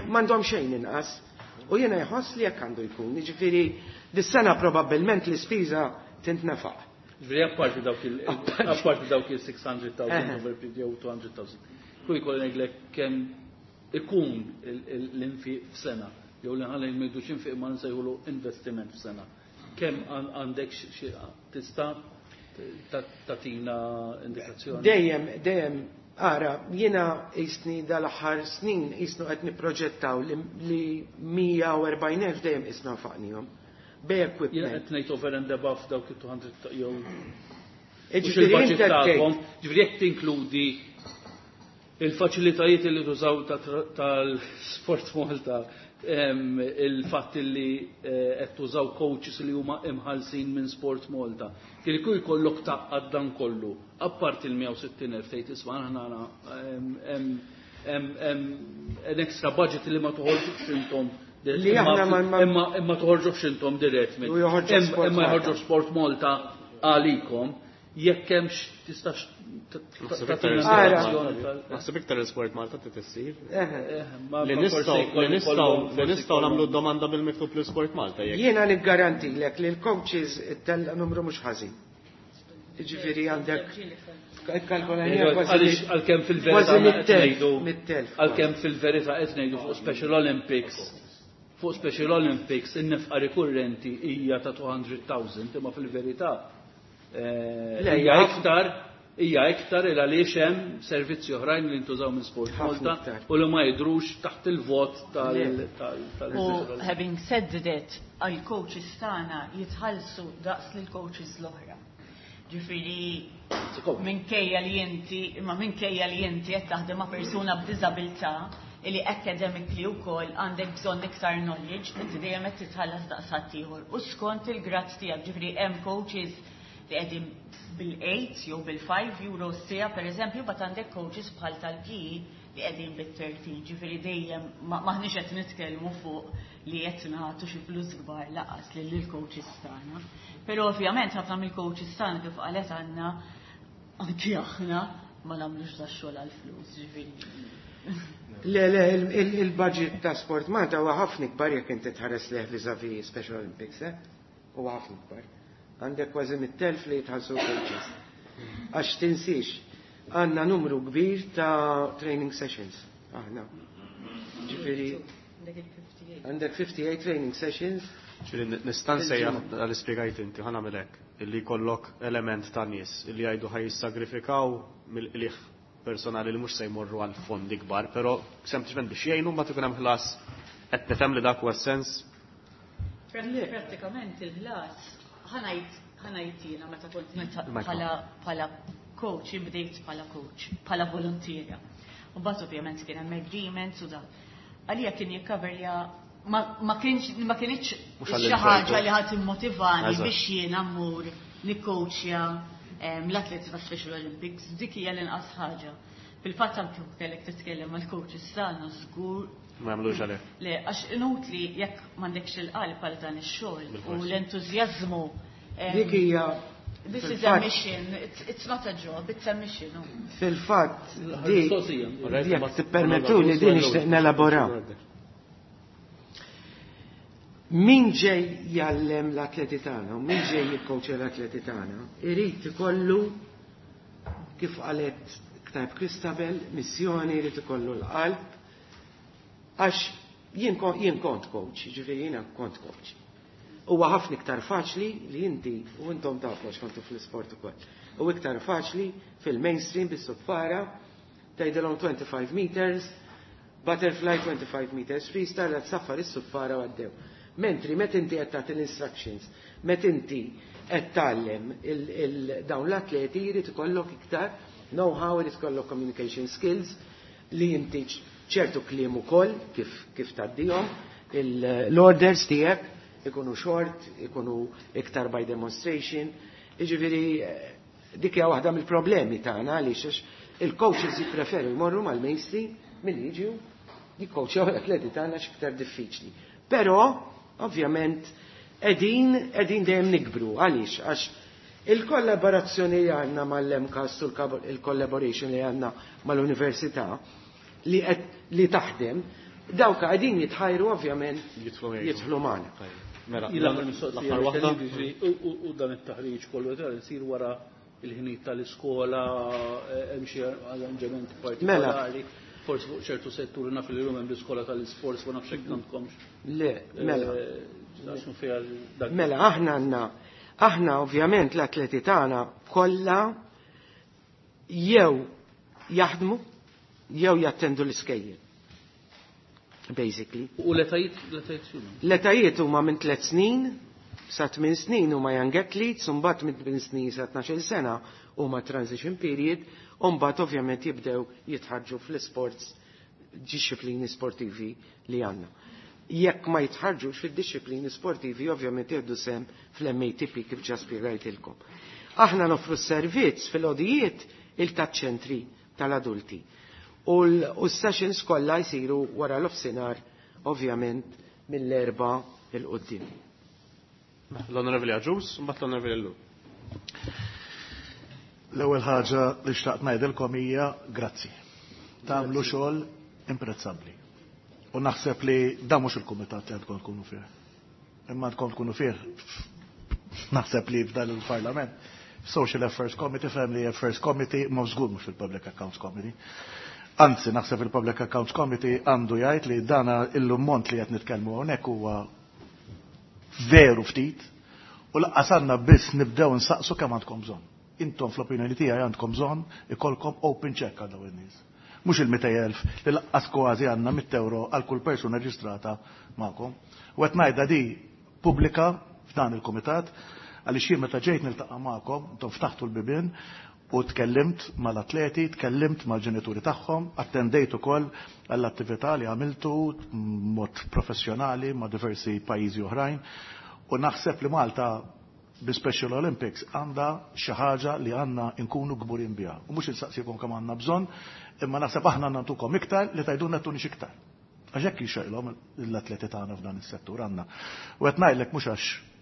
M'għandhom xejn inqas. U jiena jħoss li jekk għandu jkun. Jiġifieri dis-sena probabbilment l-ispiża tintnefaq. Ġifieri apparti dawk il apparti dawk il six hundred thousand over jew two hundred thousand. Kull jkolli ngħidlek kemm ikun l-infiq f'sena jew li ħalli ngħidu x'infiq ma nsejħulu investiment f'sena. Kemm għandek xi tista' tatina indikazzjoni? Dejjem, dejjem, ara, jiena jisni dal-aħħar snin jisnu qed nipproġettaw li mija u erbgħin elf dejjem isna nfaqnihom. Bej equipment. Jiena qed ngħid over and above dawk it-two hundred jew. Ġifieri inti tagħkom, ġifieri jekk tinkludi il-faċilitajiet li tużaw tal-Sport Malta, il-fatt li qed tużaw coaches li huma imħallsin minn Sport Malta. Kieku jkollok taqqad dan kollu, apparti il-mija u sittin elf tgħid isma' aħna hemm extra budget li ma toħorġux intom li aħna ma imma imma toħorġux intom dirett minn imma joħorġu Sport Malta għalikom. Jekk hemmx tistax naħseb iktar il-Sport Malta trid issir. Li nistgħu li nistgħu li nistgħu nagħmlu domanda bil-miktub lil Sport Malta jekk. Jiena niggarantilek li l-coaches tella numru mhux ħażin. Jiġifieri għandek kalkolajna kważi għalkemm fil-verità ngħidu għalkemm fil-verità qed ngħidu fuq Special Olympics fuq Special Olympics in-nefqa rikurrenti hija ta' two hundred thousand imma fil-verità hija iktar hija iktar il għaliex hemm servizzi oħrajn li ntużaw minn Sport Malta u li ma jidhrux taħt il-vot tal tal U having said that, għall-coaches tagħna jitħallsu daqs lil coaches l-oħra. Ġifieri minkejja li inti imma minkejja li inti qed taħdem ma' persuna b'diżabilità li academically wkoll għandek bżonn iktar knowledge, inti dejjem qed titħallas daqs ħadd ieħor. U skont il-grad tiegħek, ġifieri hemm coaches li qegħdin bil-eight jew bil-five euro sija pereżempju, bat għandek coaches bħal tal-P E li qegħdin bit-thirteen, ġifieri dejjem maħniex qed nitkellmu fuq li qed nagħtu xi flus kbar laqas lil il-coaches tagħna. Però ovvjament ħafna mill-coaches tagħna kif qalet għandna anki aħna ma nagħmlux da xogħol għall-flus, ġifieri. Le, le, il-budget ta' Sport Malta huwa ħafna ikbar jekk inti tħares leh vis-à-vis Special Olympics, eh? Huwa ħafna ikbar. Għandek kważi mit-telf li jitħallsu coaches. Għax tinsiex, għandna numru kbir ta' training sessions. Aħna. Ġifieri għandek fifty-eight training sessions. Ġifieri nista' nsejjaħ għal-ispjegajt inti, ħa nagħmel hekk, illi jkollok element ta' nies illi jgħidu ħaj jissagrifikaw mill-qligħ personali li mhux se jmorru għal fondi kbar, però sempliċement biex jgħinu mbagħad ikun hemm ħlas qed nifhem li dak huwa sens. Prattikament il-ħlas ħanajt ħanajt jiena meta kont bħala bħala coach, bdejt bħala coach, bħala volontierja. U mbagħad ovvjament kien hemm agreements u dan. Għalija kien jikkaverja ma kienx ma kienx xi ħaġa li ħadd immotivani biex jiena mmur nikkoachja l-atleti ta' Special Olympics, dik hija l-inqas ħaġa. Fil-fatt anke kellek titkellem mal-coaches tagħna żgur Ma jagħmlux għalih. Le, għax inutli jekk m'għandekx il-qalb għal dan ix-xogħol u l-entużjażmu. Dik hija This is a mission, it's, it's not a job, it's a mission. Fil-fatt, di, jekk tippermettu li din nixtieq nelabora. Min ġej jgħallem l-atleti tagħna u min ġej jikkowċja l-atleti tagħna, irid ikollu kif qalet Ktajb Christabel, missjoni, irid ikollu l-qalb, għax jien kont coach, ġifieri jiena kont coach. Huwa ħafna iktar faċli li inti u intom tafu għax kontu fl-isport ukoll. U iktar faċli fil-mainstream bis-suffara tgħidilhom twenty-five meters, butterfly twenty-five meters freestyle, qed saffar is-suffara u għaddew. Mentri meta inti qed tagħti l-instructions, meta inti qed tgħallem dawn l-atleti jrid ikollok iktar know-how, jrid ikollok communication skills li inti ċertu kliem ukoll kif kif tgħaddihom, l-orders tiegħek ikunu short, ikunu iktar by demonstration. Jiġifieri dik hija waħda mill-problemi tagħna għaliex għax il-coaches jippreferu jmorru mal-mainstream milli jiġu jikkoċjaw l-atleti tagħna x'iktar diffiċli. Però ovvjament qegħdin qegħdin dejjem nikbru għaliex għax il-kollaborazzjoni li għandna mal-M C A S u il-collaboration li għandna mal-università li qed li taħdem, dawk qegħdin jitħajru ovvjament jidħlu magħna. Mela, l-aħħar waħda. U dan it-taħriġ kollu jsir wara il-ħinijiet tal-iskola, hemm xi arranġamenti partikolari, forsi fuq ċertu setturi naf li hemm l-iskola tal-isports ma nafx hekk għandkomx. Le, mela. Mela, aħna għandna, aħna ovvjament l-atleti tagħna kollha jew jaħdmu jew jattendu l-iskejjel. Basically. U l-etajiet, l-etajiet x'huma? L-etajiet huma minn tliet snin sa tmien snin huma young athletes, u mbagħad minn tmien snin sa tnax-il sena huma transition period, u mbagħad ovvjament jibdew jitħarġu fl-isports disciplini sportivi li għandna. Jekk ma jitħarġux fid-disciplini sportivi ovvjament jieħdu sehem fl-M A T P kif ġa spjegajtilkom. Aħna noffru s-servizz fil-odijiet il-taċ-ċentri tal-adulti. U l-sessions kollha jsiru wara l-offsinar ovvjament mill-erba' il-qudiem. L-Onorevoli Agius, mbagħad l-Onorevoli Ellul. L-ewwel ħaġa li xtaqt ngħidilkom hija grazzi. Tagħmlu xogħol imprezzabbli. U naħseb li dan mhux il-kumitat li għandkom tkunu fih. Imma għandkom tkunu fih naħseb li f'dan il-Parlament. Social Affairs Committee, Family Affairs Committee, ma żgur mhux fil-Public Accounts Committee. Anzi, naħseb il-Public Accounts Committee għandu jgħid li dana l-ammont li qed nitkellmu hawnhekk huwa veru ftit u laqqas għandna biss nibdew nsaqsu kemm għandkom bżonn. Intom fl-opinjoni tiegħi għandkom bżonn ikollkom open check għal dawn in-nies. Mhux il-mitej elf li laqqas kważi għandna mitt euro għal kull persuna reġistrata magħkom. U qed ngħidha di pubblika f'dan il-kumitat għaliex jien meta ġejt niltaqa' magħkom, intom ftaħtu l-bibien u tkellimt mal-atleti, tkellimt mal-ġenituri tagħhom, attendejt ukoll għall-attività li għamiltu mod professjonali ma' diversi pajjiżi oħrajn u naħseb li Malta bi Special Olympics għandha xi ħaġa li għandna nkunu kburin biha. U mhux insaqsikom kemm għandna bżonn, imma naħseb aħna nagħtukom iktar li tgħidulna tunix iktar. Għax hekk jixejlhom l-atleti tagħna f'dan is-settur għandna. U qed ngħidlek mhux għax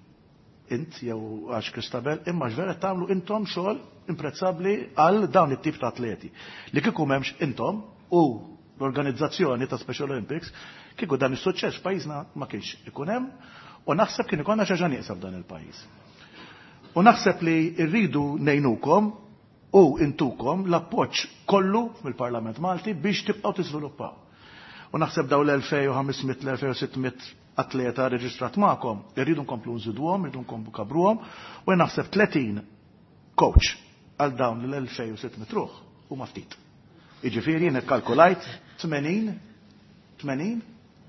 int jew għax Christabel, imma għax vera tagħmlu intom xogħol imprezzabbli għal dawn it-tip ta' atleti. Li kieku m'hemmx intom u l-organizzazzjoni ta' Special Olympics, kieku dan is-suċċess f'pajjiżna ma kienx ikun hemm u naħseb kien ikollna xi ħaġa nieqsa f'dan il-pajjiż. U naħseb li rridu ngħinukom u intukom l-appoġġ kollu mill-Parlament Malti biex tibqgħu tiżviluppaw. U naħseb daw l-elfejn u ħames mitt, l-elfejn u sitt mitt atleta reġistrat magħkom, irridu nkomplu nżiduhom, irridu nkomplu kabruhom, u naħseb tletin coach għal dawn l-elfejn u sitt mitt ruħ huma ftit. Jiġifieri jien ikkalkulajt tmenin, tmenin,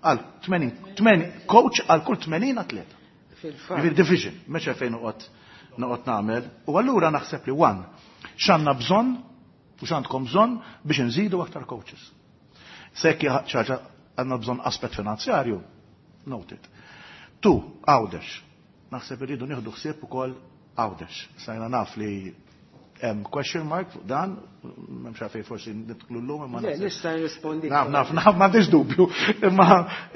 għal tmenin, tmenin coach għal kull tmenin atleta. Fil-fatt. Jiġifieri division, mhux fejn noqgħod noqgħod nagħmel. U allura naħseb li one, x'għandna bżonn u x'għandkom bżonn biex nżidu aktar coaches. Sekk ħaġa għandna bżonn aspett finanzjarju, noted. Two, Għawdex. Naħseb irridu nieħdu ħsieb ukoll Għawdex. Sajna naf li Hemm question mark fuq dan, m'hemmx għalfejn forsi nidħlu llum imma Le, nista' nirrispondi. Naf, naf, naf, m'għandix dubju. Imma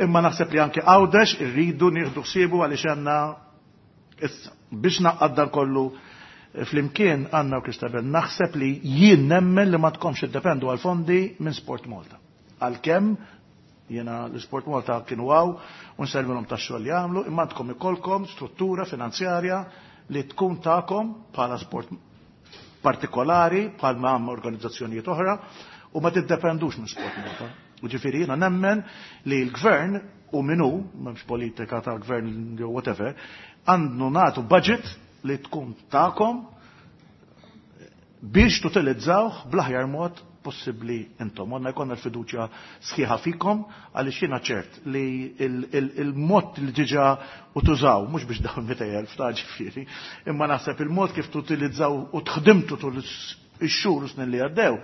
imma naħseb li anke Għawdex irridu nieħdu ħsiebu għaliex għandna issa biex naqqad dan kollu flimkien għandna u Kristabel naħseb li jien nemmen li ma tkomx iddependu għal fondi minn Sport Malta. Għalkemm jiena l-Sport Malta kienu għaw u nsellmilhom tax-xogħol li jagħmlu, imma għandkom ikollkom struttura finanzjarja li tkun tagħkom bħala sport partikolari bħal ma hemm organizzazzjonijiet oħra u ma tiddependux minn Sport Malta. U ġifieri jiena nemmen li l-gvern u minu, m'hemmx politika tal-gvern jew whatever, għandu nagħtu budget li tkun tagħkom biex tutilizzawh bl-aħjar mod possibbli intom. Għandna jkollna l-fiduċja sħiħa fikom għaliex jiena ċert li il-mod li diġà u tużaw, mhux biex dawn mitejn elf ta' ġifieri, imma naħseb il-mod kif tutilizzaw u tħdimtu tul ix-xhur u snin li għaddew,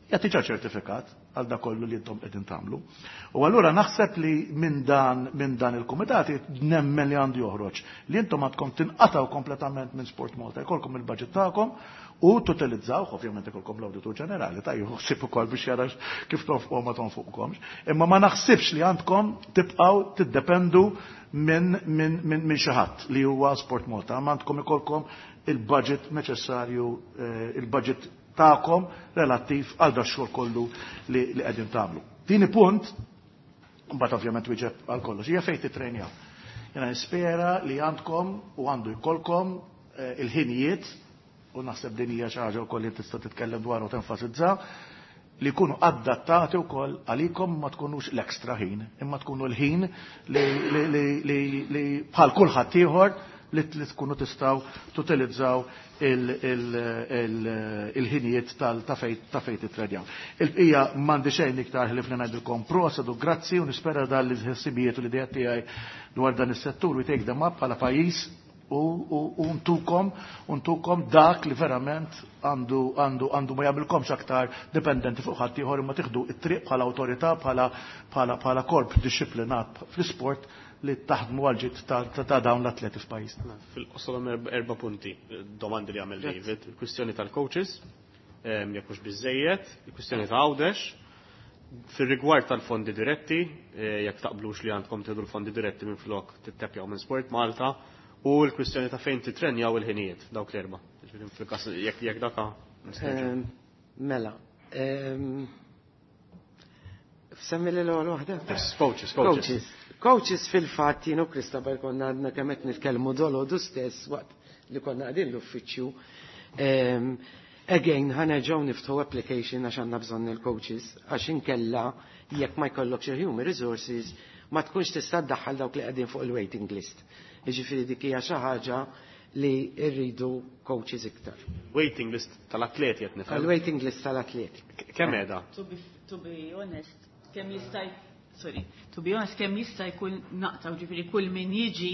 jagħti ġa ċertifikat għal dak kollu li intom qegħdin tagħmlu. U allura naħseb li minn dan minn dan il-kumitat nemmen li għandu joħroġ li intom għandkom tinqataw kompletament minn Sport Malta, jkollkom il-budget tagħkom u tutilizzaw, ovvjament ikolkom l-Awditur Ġenerali, ta' jħossib ukoll biex jara kif tonfqu ma tonfuqkomx. Imma ma naħsibx li għandkom tibqgħu tiddependu minn min, min, min xi ħadd li huwa Sport Malta, ma għandkom ikolkom il-budget neċessarju, eh, il-budget tagħkom relattiv għal da xogħol kollu li li qegħdin tagħmlu. Tieni punt, mbagħad ovvjament wieġeb għal kollox, hija fejn titrenjaw. Jiena nispera li għandkom u għandu jkollkom eh, il-ħinijiet u naħseb din hija xi ħaġa wkoll li tista' titkellem dwar u tenfasizza li jkunu adattati wkoll għalikom ma tkunux l-ekstra ħin, imma tkunu l-ħin li, li, li, li, li bħal kulħadd ieħor li li tkunu tistgħu tutilizzaw il-ħinijiet ta' fejn titrenjaw. Il-bqija m'għandi xejn iktar ħlief li ngħidilkom proset u grazzi u nispera dan li ħsibijiet u l-idea tiegħi dwar dan is-settur we take them up bħala pajjiż u, u, u ntukom u ntukom dak li verament għandu għandu għandu ma jagħmilkomx aktar dipendenti fuq ħadd ieħor imma tieħdu it-triq bħala awtorità bħala bħala bħala korp dixxiplinat fl-isport li taħdmu għal ġid ta', ta, ta' dawn l-atleti f'pajjiżna. Fil-qosor hemm erba' punti, domandi li għamel David, il-kwistjoni tal-coaches, em, jekk mhux biżejjed, il-kwistjoni ta' Għawdex, fir-rigward tal-fondi diretti, eh, jekk taqblux li għandkom tieħdu l-fondi diretti minn flok tittepjaw minn Sport Malta, u l-kwistjoni ta' fejn titrenjaw il-ħinijiet, dawk l-erba'. Ġifieri fil-każ jekk jekk daka Ehm, Mela, ehm, semmi li l-ewwel waħda? Coaches, coaches. Coaches. Coaches fil-fatt jien u Kristabel konna għadna kemm qed nitkellmu dolodu stess waqt li konna qegħdin l-uffiċċju. Ehm, Again, ħa nerġgħu niftħu application għax għandna bżonn il-coaches, għax inkella jekk ma jkollokx il-human resources ma tkunx tista' ddaħħal dawk li qegħdin fuq il-waiting list. Jiġifieri dik hija xi ħaġa li rridu coaches iktar. Waiting list tal-atleti qed nifhem. Il-waiting list tal-atleti. Kemm qiegħda? To be, to be honest, kemm jista' sorry, to be honest, kemm jista' jkun naqtaw ġifieri kull min jiġi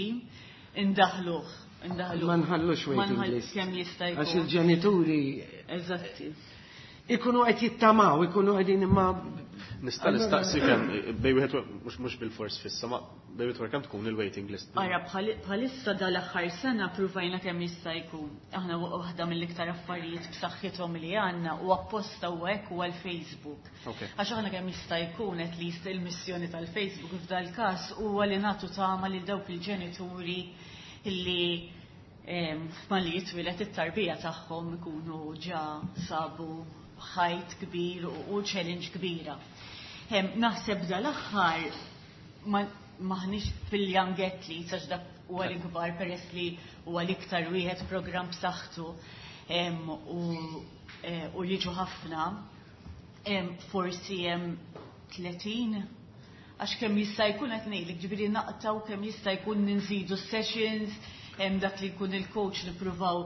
indaħluh, indaħluh. Ma nħallux Ma waiting nħall- list. Kemm jista' Għax jkun. il-ġenituri Eżatti. ikunu qed jittamaw, ikunu qegħdin imma Nista' nistaqsi kemm bejn wieħed mhux mhux bil-fors fissa, ma bejn wieħed kemm tkun il-waiting list. Ara, bħal- bħalissa dal-aħħar sena pruvajna kemm jista' jkun. Aħna waħda mill-iktar affarijiet b'saħħithom li għandna u apposta u hekk huwa l-Facebook. Ok. Għax aħna kemm jista' jkun at least il-missjoni tal-Facebook f'dal każ huwa li nagħtu tama lil dawk il-ġenituri illi em, malli jitwieled it-tarbija tagħhom ikunu ġa sabu ħajt kbir u, u challenge kbira. Em, Naħseb dal-aħħar ma maħniex fil-young athletes għax dak huwa l-ikbar peress li huwa l-iktar wieħed programm b'saħħtu em, u eh, u jiġu ħafna em, forsi hemm tletin għax kemm jista' jkun qed ngħidlek ġifieri naqtaw kemm jista' jkun ninżidu sessions hemm dak li jkun il-coach nippruvaw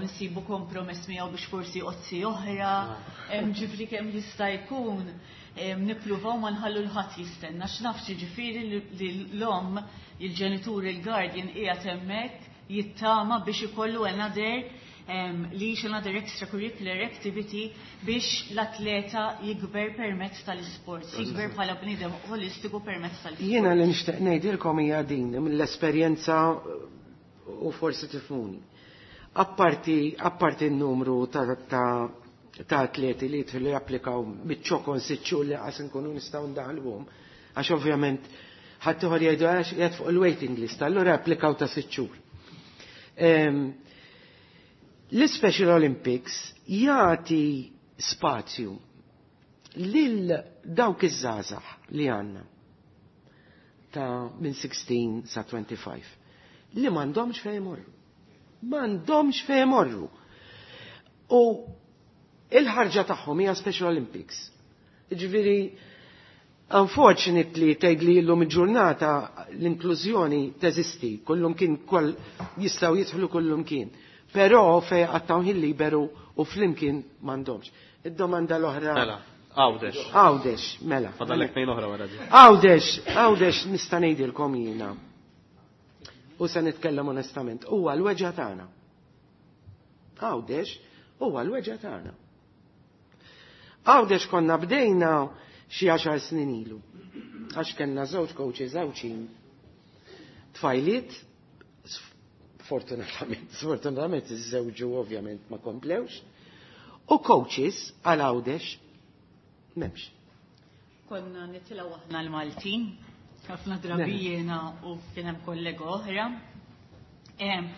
nsibu kompromess miegħu biex forsi ozzi oħra, hemm ġifieri kemm jista' jkun em, nippruvaw ma nħallu l-ħadd jistenna x'naf ġifieri li l-omm il-ġenitur il-guardian qiegħed hemmhekk jittama biex ikollu another um, li another extracurricular activity biex l-atleta jikber permezz tal-sport, jikber bħala bniedem holistiku permezz tal-sport. Jiena li nixtieq ngħidilkom hija din mill-esperjenza u forsi tifhmuni. Apparti, apparti n-numru ta', ta, ta' atleti li jidħlu japplikaw miċ-ċokon sitt xhur li qas nkunu nistgħu ndaħluhom. Għax ovvjament ħadd ieħor jgħidu għax qiegħed fuq il-waiting list, allura applikaw ta' sitt xhur. Ehm, L-Special Olympics jagħti spazju lil dawk iż-żgħażagħ li għandna ta' minn sittax sa twenty-five li m'għandhomx fejn imorru. M'għandhomx fejn imorru. U il-ħarġa tagħhom hija Special Olympics. Jiġifieri, unfortunately, tgħid li llum il-ġurnata l-inklużjoni teżisti, kullum kien koll jistgħu jidħlu kullum kien. Però fejn qattgħu ħin liberu u flimkien m'għandhomx. Id-domanda l-oħra. Mela, Għawdex. Għawdex, mela. Fadallek tnejn oħra wara di. Għawdex, Għawdex nista' ngħidilkom jiena. U se nitkellem onestament, huwa l-weġgħa tagħna. Għawdex huwa l-weġgħa tagħna. Għawdex konna bdejna xi għaxar snin ilu. Għax kellna żewġ coaches Għawdxin tfajliet, sfortunatament, sfortunatament iż-żewġu ovvjament ma komplewx, u coaches għal Għawdex m'hemmx. Konna nitilgħu aħna l-Maltin, ħafna drabi jiena u kien hemm kollega oħra. Em,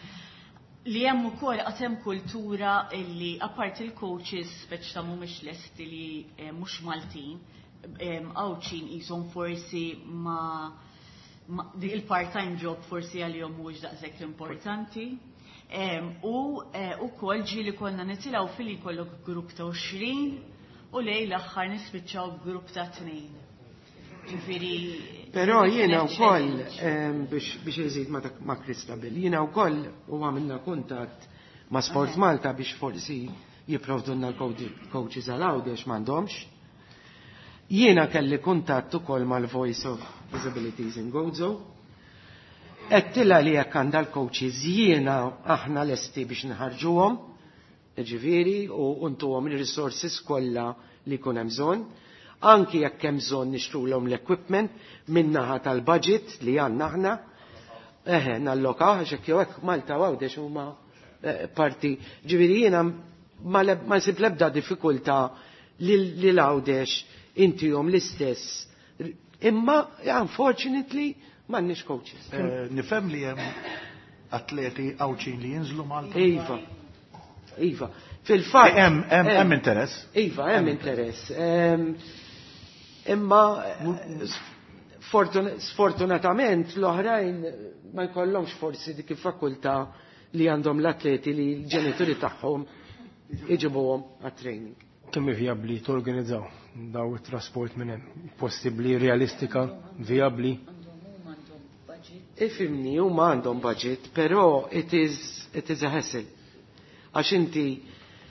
Li hemm ukoll qatt hemm kultura illi apparti il-coaches speċi ta' mhumiex lesti li eh, mhux Maltin, em, Għawdxin qishom forsi ma ma- di il-part-time job forsi għalihom mhuwiex daqshekk importanti. Em, U eh, ukoll ġieli konna nitilgħu fili jkollok grupp ta' għoxrin u lejn l-aħħar nispiċċaw grupp ta' tnejn. Ġifieri Però jiena kienet wkoll challenge. em, biex biex iżid ma dak ma' Christabel, jiena wkoll u għamilna kuntatt ma' Sport Malta biex forsi jipprovdulna l-coaches għal Għawdex, m'għandhomx. Jiena kelli kuntatt ukoll mal-Voice of Disabilities in Gozo. Għedtilha li jekk għandha l-coaches jiena aħna lesti biex nħarġuhom, ġifieri, u ntuhom il-resources kollha li jkun hemm bżonn. Anki jekk hemm bżonn nixtrulhom l-equipment min-naħa tal-budget li għandna aħna. Eħe, nallokaw, għax hekk jew hekk Malta u Għawdex huma eh, parti. Ġifieri jiena ma leb- ma nsib l-ebda diffikultà li li l-Għawdex intihom l-istess. Imma unfortunately m'għandniex coaches. Eh, Nifhem li hemm atleti Għawdxin li jinżlu Malta. Iva. Iva. Fil-fatt Hemm hemm hemm interess. Iva, hemm interess. Em, Imma eh, sfortun- sfortunatament l-oħrajn ma jkollhomx forsi dik il-fakultà li għandhom l-atleti li l-ġenituri tagħhom iġibuhom għat-training. Kemm hi vijabbli torganizzaw daw it-trasport minn hemm? Possibbli, realistika, vijabbli? Ifhimni, huma għandhom budget, però it is, it is a hassle. Għax inti,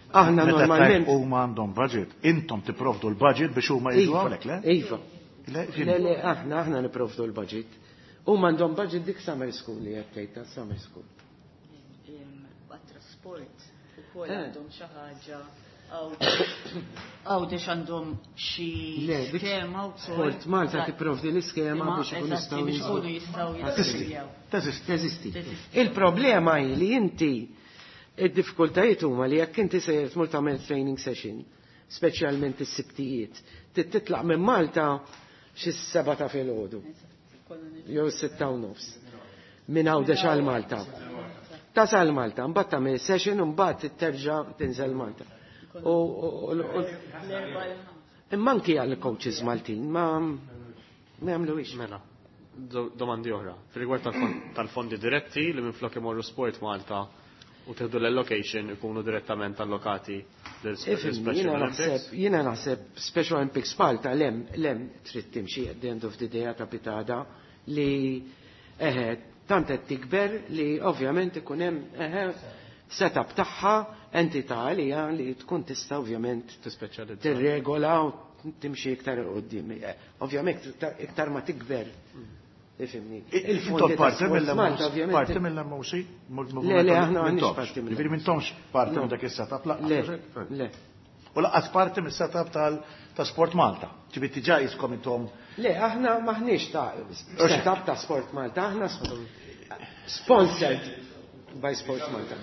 aħna Meta normalment. tajt huma għandhom budget, intom tipprovdu l-budget biex huma jiġu Iva, hawnhekk, le? Iva. Le, Le, le, aħna, aħna nipprovdu l-budget. Huma għandhom budget dik summer school li qed tgħid ta' summer school. Għat-trasport ukoll Eh. għandhom xi ħaġa Għawdex għandhom xi Le, dik skema wkoll. Sport Malta tipprovdi l-iskema Imma, biex ikun eżatti, jistgħu biex jinżlu. ikunu jistgħu Teżisti. jistgħu. Teżisti. Teżisti. Teżisti. Il-problema hi li inti id-diffikultajiet huma li jekk inti sejjer tmur tagħmel training session, speċjalment is-sibtijiet, trid titlaq minn Malta xi seba' ta' filgħodu jew sitta u nofs. Minn Għawdex għal Malta. Tasal Malta, mbagħad tagħmel session u mbagħad terġa' tinżel Malta. U u- u- imma anki għal coaches Maltin ma ma jagħmluhiex. Mela, do- domandi oħra. Fil-rigward tal-fon- tal-fondi diretti li minflok imorru Sport Malta u tieħdu l-allocation ikunu direttament allokati lil Ifhimni, Special jiena Olympics. naħseb, jiena naħseb Special Olympics Malta lem, lem trid timxi at the end of the day ta' pitada li eħe, tant qed tikber li ovvjament ikun hemm eħe setup tagħha entità għalija li tkun tista' ovvjament Tispeċjalizza. tirregola u timxi iktar 'il quddiem. Eh, Ovvjament iktar- iktar ma tikber. Ifhimni. Intom ta' parti Sport mill-M O C, Malta, ovvjament. parti mill-M O C? Le, le, aħna m'għandniex parti mill-M O C. Ġifieri m'intomx parti No. minn dak is-setup Le, lanqas. le. U lanqas parti mis-setup tal ta' Sport Malta. Ġifieri diġà jiskom intom Le, aħna maħniex ta' setup ta' Sport Malta, aħna sp- sponsored by Sport Malta.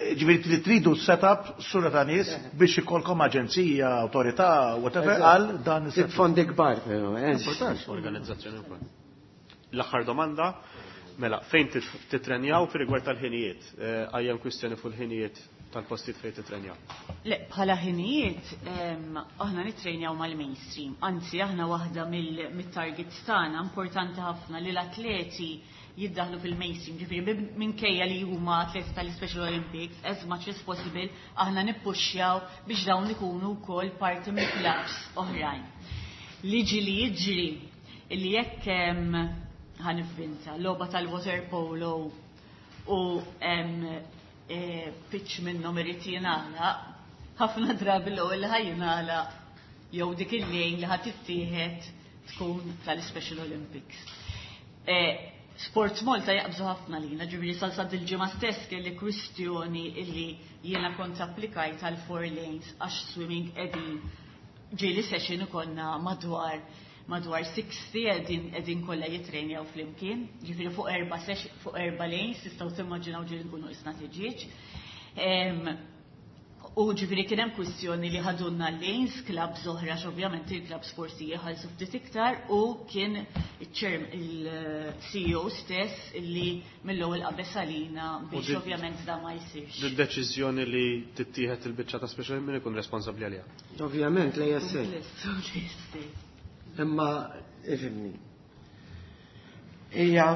Ġifieri li tridu setup sura ta' nies biex ikollkom aġenzija, awtorità, whatever, għal dan is-setup. Fondi kbar, però. Eh? Organizzazzjoni wkoll. L-aħħar domanda, mela, fejn titrenjaw fi rigward tal-ħinijiet? Għajjem kwistjoni fuq il-ħinijiet tal-postijiet fejn titrenjaw. Le, bħala ħinijiet, aħna nitrenjaw mal-mainstream. Anzi, aħna waħda mill-targets tagħna importanti ħafna li l-atleti jiddaħlu fil-mainstream. Ġifieri minkejja li huma atleti tal-Special Olympics, as much as possible, aħna nippuxxjaw biex dawn ikunu wkoll parti mill-clubs oħrajn. Liġi li jiġri li jekk ħa nivvinta logħba tal-water polo u pitch minnhom irid jingħalaq, ħafna drabi l-ewwel li ħa jingħalaq jew dik il-lane li ħa tittieħed tkun tal-Special Olympics. Sports Malta jaqbżu ħafna lina, ġifieri sal dil-ġimgħa stess kelli kwistjoni illi jiena kont applikajt għal four lanes għax swimming qegħdin ġieli session ikollna madwar madwar sittin qegħdin qegħdin kollha jitrenjaw flimkien, ġifieri fuq erba' fuq erba' lanes tistgħu timmaġinaw ġieli nkunu qisna tiġieġ. U ġifieri kien hemm kwistjoni li ħadulna lanes, clubs oħra, ovvjament il-clubs forsi jħallsu ftit iktar, u kien il-C E O stess illi mill-ewwel qabeż għalina biex ovvjament da ma jsirx. Id-deċiżjoni li tittieħed il-biċċa ta' Special min ikun responsabbli għaliha? Ovvjament l-A S A. Imma ifhimni. Hija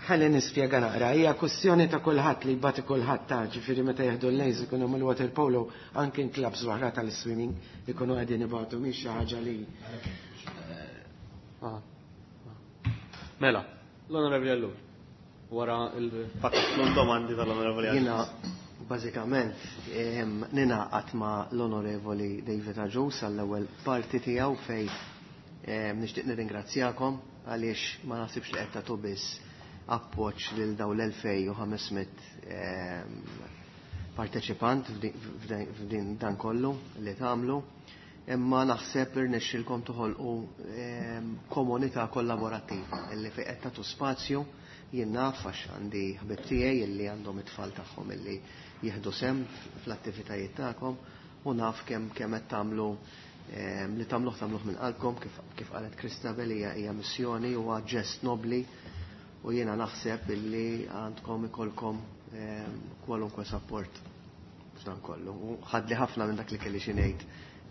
ħalli nispjega naqra, hija kwestjoni ta' kulħadd li jbati kulħadd ta' ġifieri meta jieħdu l-lejs ikunu mill-water polo anke clubs oħra tal-swimming ikunu qegħdin ibatu mhix xi ħaġa li. Mela, l-Onorevoli Ellul, wara il-pakket domandi tal-Onorevoli Agius. Jiena bażikament ninaqat ma' l-Onorevoli David Agius għall-ewwel parti tiegħu fej nixtieq nirringrazzjakom għaliex ma naħsibx li qed tagħtu biss appoġġ lil dawn l-elfej u ħames mitt parteċipant f'din dan kollu li tagħmlu, imma naħseb irnexxilkom toħolqu komunità kollaborattiva illi fejn qed tagħtu spazju. Jien naf għax għandi ħbib tiegħi illi għandhom it-tfal tagħhom illi jieħdu sehem fl-attivitajiet tagħkom u naf kemm kemm qed tagħmlu li tagħmluh tagħmluh minn qalbkom kif, kif qalet Christabel hija hija missjoni u ġest nobli u jiena naħseb illi għandkom ikolkom kwalunkwe support f'dan kollu. U ħadli ħafna minn dak li kelli xi ngħid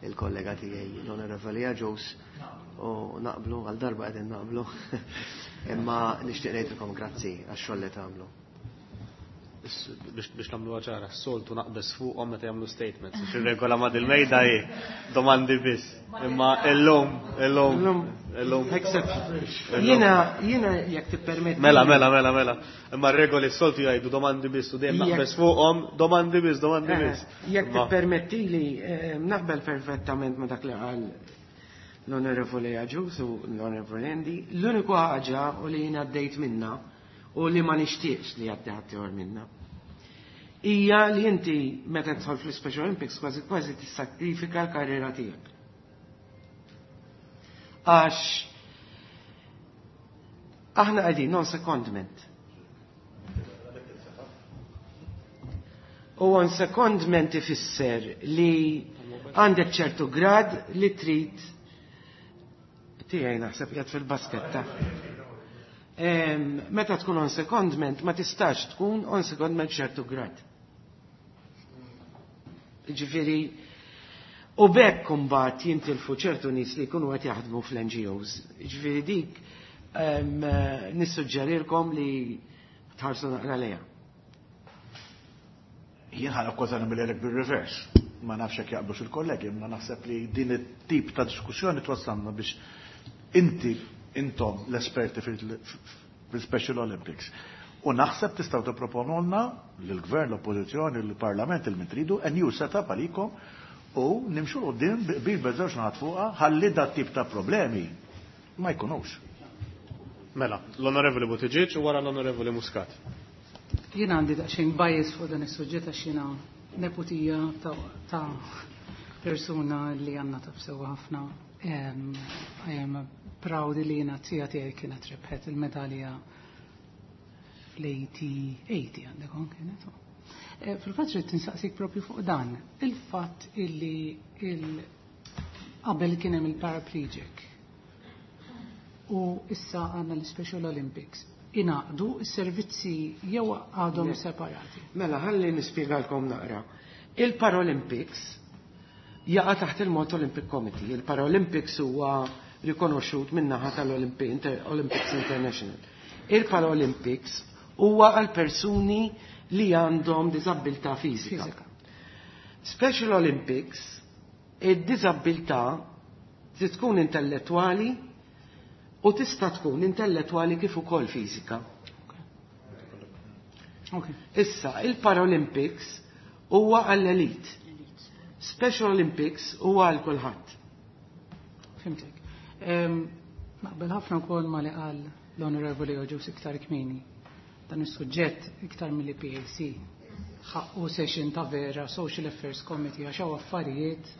il-kollega tiegħi l-Onorevoli Agius u naqblu għal darba qegħdin naqblu imma nixtieq ngħidilkom grazzi għax-xogħol li tagħmlu. Biex, biex nagħmlu ċara, s-soltu naqbeż fuqhom meta jagħmlu statements. Biex ir-regola ma' dil-mejda hi domandi biss. Imma illum, illum, illum. Jiena, jiena jekk tippermetti. Mela, mela, mela, mela. Imma r-regoli s-soltu jgħidu domandi biss u dejjem naqbeż fuqhom, domandi biss, domandi Eh, biss. Jekk tippermettili, eh, naqbel perfettament ma' dak li qal l-Onorevoli Agius u l-Onorevoli Andy. L-uniku ħaġa u li jiena għaddejt minna u li ma nixtieqx li għaddi ħadd minna. Hija li inti meta tidħol fl-Special Olympics kważi kważi tissakrifika l-karriera tiegħek. Għax aħna qegħdin non secondment. U on secondment ifisser li għandek ċertu grad li trid tiegħi naħseb qiegħed fil-basketta. Meta tkun on secondment ma tistax tkun on secondment ċertu grad. Ġifieri, u bekk imbagħad jintilfu ċertu nies li jkunu qed jaħdmu fl-N G Os. Ġifieri dik, em, nissuġġerilkom li tħarsu naqra lejha. Jien ħa kważi nagħmel bil-reverse. Ma nafx jekk jaqblux il-kollegi, ma naħseb li din it-tip ta' diskussjoni twassalna biex inti intom l-esperti fil-Special Olympics. U naħseb tistgħu tipproponulna lill-Gvern, l-Oppożizzjoni, l-Parlament, il-min tridu, a new setup għalikom u nimxu 'l quddiem bil beżewġ naħat fuqha ħalli dat tip ta' problemi ma jkunux. Mela, l-Onorevoli Buttigieg u wara l-Onorevoli Muscat. Jien għandi daqsxejn bias fuq dan is-suġġett għax jiena neputija ta', ta' persuna li għandna taf sewwa ħafna. Em, I am proud li jiena tija tiegħi kienet rebħet il-medalja fl-eighty għandek kienet. Eh, fil-fatt rrid tinsaqsik propju fuq dan. Il-fatt illi il qabel kien hemm il-paraplegic u issa għandna l-Special Olympics. Ingħaqdu s-servizzi jew għadhom separati? Mela, ħalli nispjegalkom naqra. Il-Paralympics jaqa' taħt il-Malta Olympic Committee. Il-Paralympics huwa rikonoxxut min-naħa tal-Olympics International. Il-Paralympics huwa għal persuni li għandhom diżabilità fiżika. Special Olympics, id-diżabilità trid tkun intellettwali u tista' tkun intellettwali kif ukoll fiżika. Issa, il-Paralympics huwa għall-elit. Special Olympics huwa għal kulħadd. Fhimtek. Naqbel ħafna wkoll ma li qal l-Onorevoli Agius iktar kmieni. Dan is-suġġett iktar mill-P A C ħaqqu session ta' vera Social Affairs Committee, għax hawn affarijiet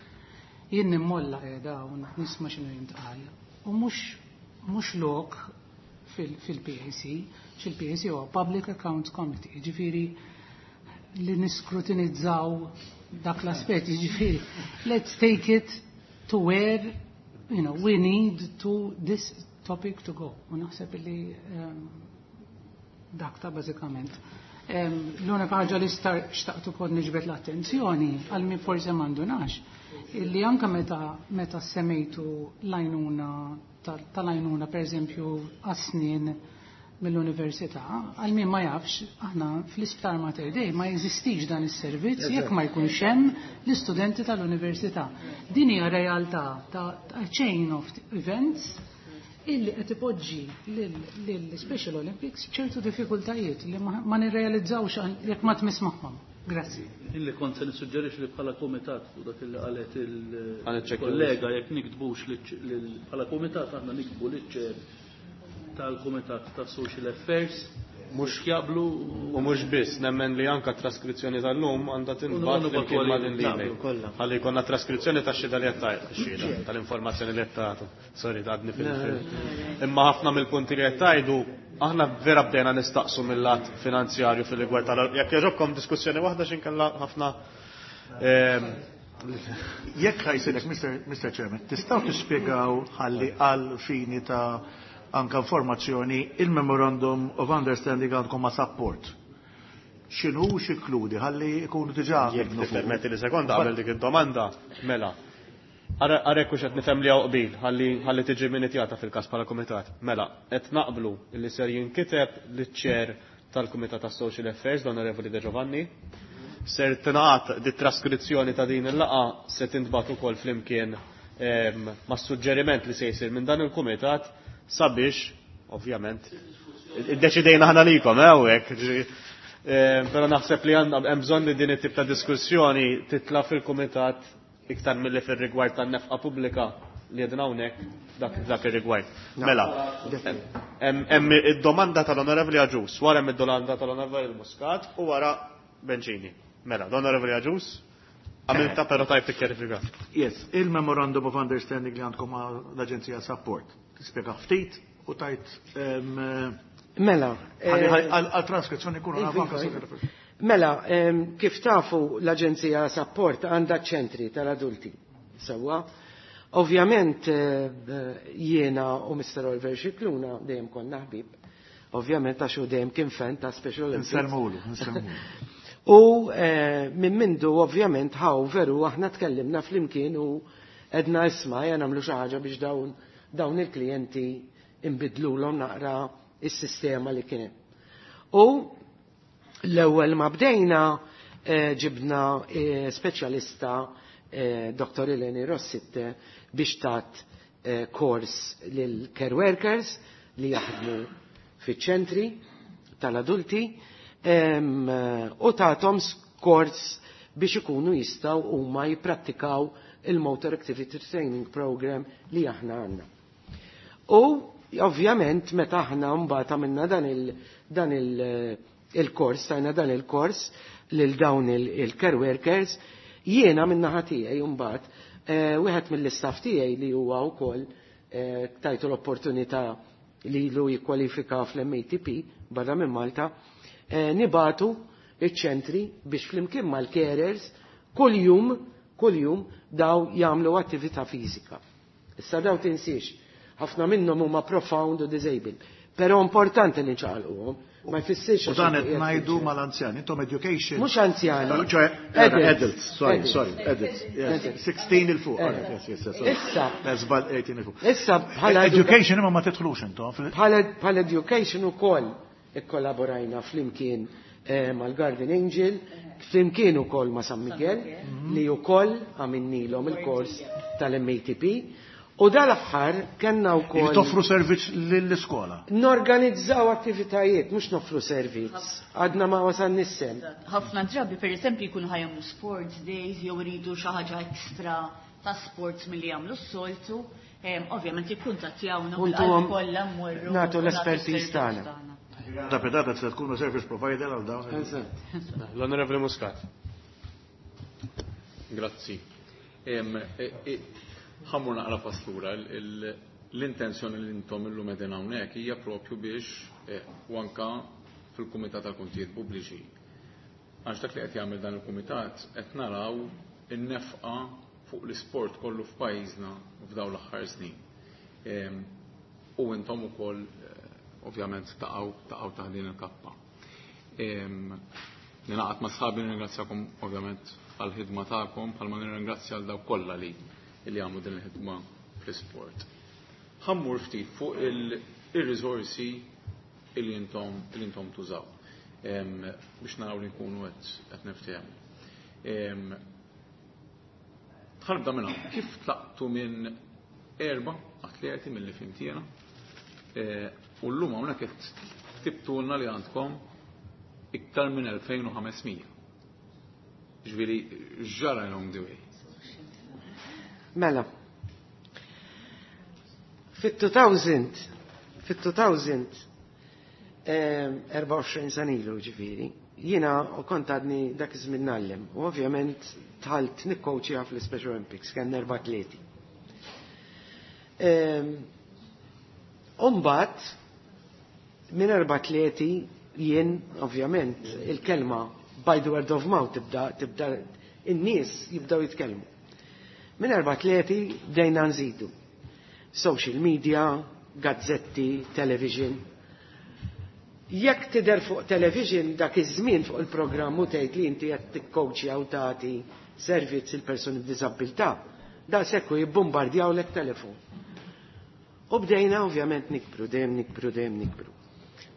jien nimmolla qiegħda u nisma' x'inhu jintqal. U mhux mhux lok fil-P A C, xil-P A C huwa Public Accounts Committee, ġifieri li niskrutinizzaw dak l-aspett, ġifieri let's take it to where you know, we need to this topic to go. U naħseb li um, dak ta' bażikament. Um, L-unika ħaġa li xtaqt ukoll niġbed l-attenzjoni għal min forsi m'għandunax, illi anka meta meta semmejtu l-għajnuna tal-għajnuna, per eżempju, għas-snien mill-università, għal min ma jafx, aħna fl-isptar Mater Dei ma jeżistix dan is-servizz jekk ma jkunx hemm l-istudenti tal-università. Din hija realtà ta' chain of events illi qed ipoġġi lill-Special Olympics ċertu diffikultajiet li ma nirrealizzawx jekk ma tmiss magħhom. Grazzi. Illi kont se nissuġġerix li bħala komitat u dak illi qalet il-kollega, jekk niktbux bħala komitat, aħna niktbu liċ tal-Kumitat ta' Social Affairs mhux jaqblu. U mhux biss, nemmen li anka traskrizzjoni tal-lum għandha tinbagħat flimkien ma' din l-email. Ħalli jkollna traskrizzjoni tax-xhieda li qed xhieda tal-informazzjoni li qed tagħtu. Sorry, għadni fil Imma ħafna mill-punti li qed tgħidu aħna vera bdejna nistaqsu mill-lat finanzjarju fil-rigward tal Jekk jogħġobkom, diskussjoni waħda x'inkella ħafna. Ehm, Jekk ħa jsilek, Mister Chairman, tistgħu tispjegaw ħalli għal fini ta' anka informazzjoni il-Memorandum of Understanding għandkom ma' support? X'inhu, x'inkludi, ħalli jkunu diġà Jekk tippermetti li sekonda qabel dik id-domanda, mela. Arek hux qed nifhem li hawn qbil, ħalli ħalli tiġi minutjata fil-każ bħala kumitat. Mela, qed naqblu li ser jinkiteb liċ-chair tal-Kumitat tas Social Affairs, l-Onorevoli De Giovanni. Ser tingħat di traskrizzjoni ta' din il-laqgħa, se tintbagħat ukoll flimkien ma' suġġeriment li se jsir minn dan il-kumitat sabiex, ovvjament, iddeċidejna aħna likom, eh, hawnhekk. Però naħseb li għandna hemm bżonn li din it-tip ta' diskussjoni titla' fil-kumitat iktar milli fir-rigward tan-nefqa pubblika li qegħdin hawnhekk dak dak ir-rigward. Mela, hemm id-domanda tal-Onorevoli Agius, wara hemm id-domanda tal-Onorevoli Muscat u wara Bencini. Mela, l-Onorevoli Agius, għamilta però tajb tikkjarifika. Yes, il-Memorandum of Understanding li għandkom l-Aġenzija Support. Tispjega ftit u tajt Mela. Għal-transkrizzjoni kunu Mela, kif tafu, l-Aġenzija Support għandha ċentri tal-adulti. Sewwa. Ovvjament jiena u Mister Oliver Scicluna dejjem konna ħbib. Ovvjament għax u dejjem kien fan ta' Special Olympics. Nsellmulu, nsellmulu. U minn mindu ovvjament ħaw veru aħna tkellimna flimkien u għedna, "Isma', ejja nagħmlu xi ħaġa biex dawn dawn il-klijenti imbidlulhom naqra is-sistema li kien hemm." U l-ewwel ma bdejna ġibna speċjalista, Doktor Eleni Rossitte, biex tat kors lil care workers li jaħdmu fiċ-ċentri tal-adulti u tathom kors biex ikunu jistgħu huma jipprattikaw il-Motor Activity Training Program li aħna għandna. U ovvjament meta aħna mbagħad għamilna dan il dan il il-kors, tajna dan il-kors lil dawn il-care workers, jiena min-naħa tiegħi mbagħad wieħed mill-istaff tiegħi li huwa wkoll tajtu l-opportunità li lu jikkwalifika fl-M A T P barra minn Malta, nibagħtu iċ-ċentri biex flimkien mal-carers kull jum, kull jum daw jagħmlu attività fiżika. Issa daw tinsiex, ħafna minnhom huma profound u disabled. Però importanti li nċaqalquhom, ma jfissirx. U dan qed ngħidu mal-anzjani, intom education. Mhux anzjani. Ċoè, adults, sorry, sorry, adults. sixteen 'il fuq. Issa. Żball eighteen 'il fuq. Issa bħala education imma ma tidħlux intom. Bħala education ukoll ikkollaborajna flimkien mal-Guardian Angel, flimkien ukoll ma' San Miguel, li wkoll għamilnilhom il-kors tal-M A T P. U dal-aħħar kellna wkoll. Toffru servizz lill-iskola. Norganizzaw attivitajiet, mhux noffru servizz. Għadna ma wasalniex nissem. Ħafna drabi pereżempju jkunu ħajamlu sports days jew iridu xi ħaġa ekstra ta' sports milli jagħmlu s-soltu, ovvjament jikkuntattjawna u kollha mmorru. Nagħtu l-espertiż tagħna. Da pedata se tkunu service provider għal dawn. L-Onorevoli Muscat. Grazzi. Ħammur naqra paslura, l-intenzjoni li intom illum qegħdin hawnhekk hija propju biex u anka fil-Kumitat tal-Kontijiet Pubbliċi. Għax dak li qed jagħmel dan il-Kumitat qed naraw in-nefqa fuq l-isport kollu f'pajjiżna f'dawn l-aħħar snin. U intom ukoll ovvjament taqgħu taqgħu taħt din il-kappa. Ninaqgħad ma' sħabi nirringrazzjakom ovvjament għall-ħidma tagħkom bħalma nirringrazzja għal dawk kollha li li għamlu din il-ħidma fl-isport. Ħammur ftit fuq il-riżorsi li intom li intom tużaw biex naraw li nkunu qed niftehmu. Ħanibda minn hawn. Kif tlaqtu minn erba' atleti milli fhimt jiena u llum hawnhekk qed ktibtulna li għandkom iktar minn elfejn u ħamesmija. Ġifieri x'ġara along the way? Mela, fit-two thousand, fit-two thousand, erbgħa u għoxrin sena ilu ġifieri, jiena u kont għadni dak iż-żmien ngħallem, u ovvjament dħalt nikkowċja fl-Special Olympics, kien erba' atleti. U mbagħad minn erba' atleti jien ovvjament il-kelma by the word of mouth tibda tibda in-nies jibdew jitkellmu. Minn erba' atleti bdejna nżidu. Social media, gazzetti, television. Jekk tidher fuq television dak iż-żmien fuq il-programm u tgħid li inti qed tikkowċja u tagħti servizz il-persuni b'diżabilità, da sekku jibbombardjawlek telefon. U bdejna ovvjament nikbru, dejjem nikbru, dejjem nikbru.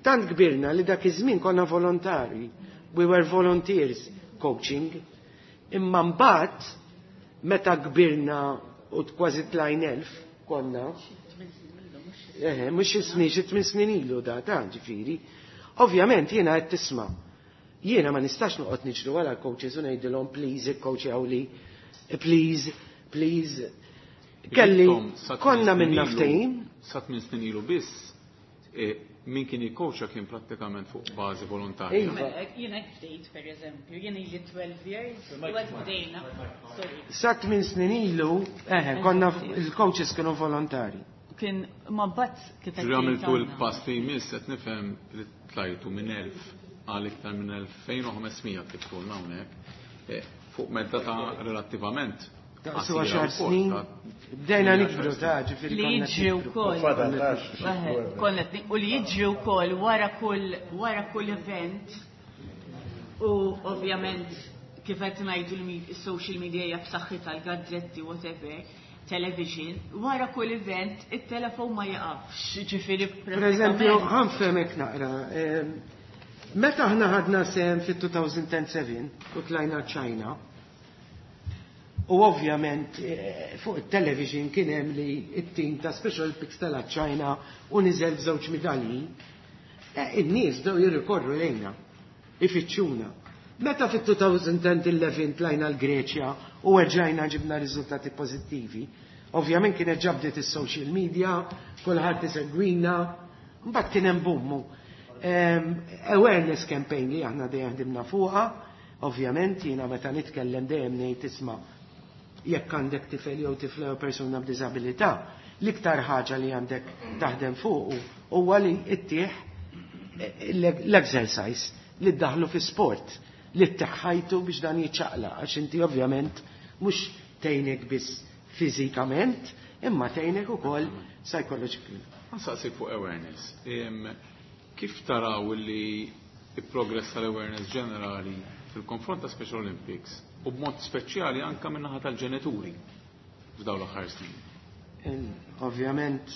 Tant kbirna li dak iż-żmien konna volontari, we were volunteers coaching, imma mbagħad meta kbirna u kważi tlajn elf konna, eħe, mhux xi snin, xi tmien snin ilu da, ta' ġifieri. Ovvjament jiena qed tisma'. Jiena ma nistax noqgħod niġru wara l-coaches u ngħidilhom please ikkoċjaw li, please, please. Kelli konna minna ftehim. Sa tmien snin ilu biss, min kien jikkoċja kien prattikament fuq bażi volontarja. Jiena hekk bdejt pereżempju, jien ili twelve years, u hekk bdejna. Sa tmien snin ilu, eħe, konna il-coaches kienu volontari. Kien ma mbagħad kif qed Ġifieri għamiltu l-pass li jmiss qed nifhem li tlajtu minn elf għal iktar minn elfejn u ħamesmija kif tqulna hawnhekk, fuq medda ta' relattivament Daqsu għaxar snin, bdejna nikbru ta' ġifieri Li jiġri wkoll. Konna u li jiġri wkoll wara kull wara kull event u ovvjament kif qed ngħidu l-social media hija b'saħħitha l-gazzetti whatever, television, wara kull event it-telefon ma jaqafx, ġifieri Per eżempju, ħanfehmek naqra. Meta aħna ħadna sehem fit-two thousand and seven u tlajna China, u ovvjament fuq it-television kien hemm li t-tim ta' Special Olympics tela' China u niżel b'żewġ midalji, in-nies bdew jirrikorru lejna, ifittxuna. Meta fit-two thousand and eleven tlajna l-Greċja u erġajna ġibna riżultati pożittivi, ovvjament kienet ġabdet is-social media, kulħadd isegwina, mbagħad kien hemm bummu. Awareness campaign li aħna dejjem ħdimna fuqha, ovvjament jiena meta nitkellem dejjem ngħid isma' jekk għandek tifel jew tifla jew persuna b'diżabilità, l-iktar ħaġa li għandek taħdem fuq huwa li ttieħ l-exercise li ddaħlu fi sport. li tteħħajtu biex dan jiċċaqlaq, għax inti ovvjament mhux tgħinek biss fiżikament, imma tgħinek ukoll psychologically. Nsaqsik fuq awareness. Kif taraw li il-progress tal-awareness ġenerali fil-konfront ta' Special Olympics u b'mod speċjali anka min-naħa tal-ġenituri f'dawn l-aħħar snin? Ovvjament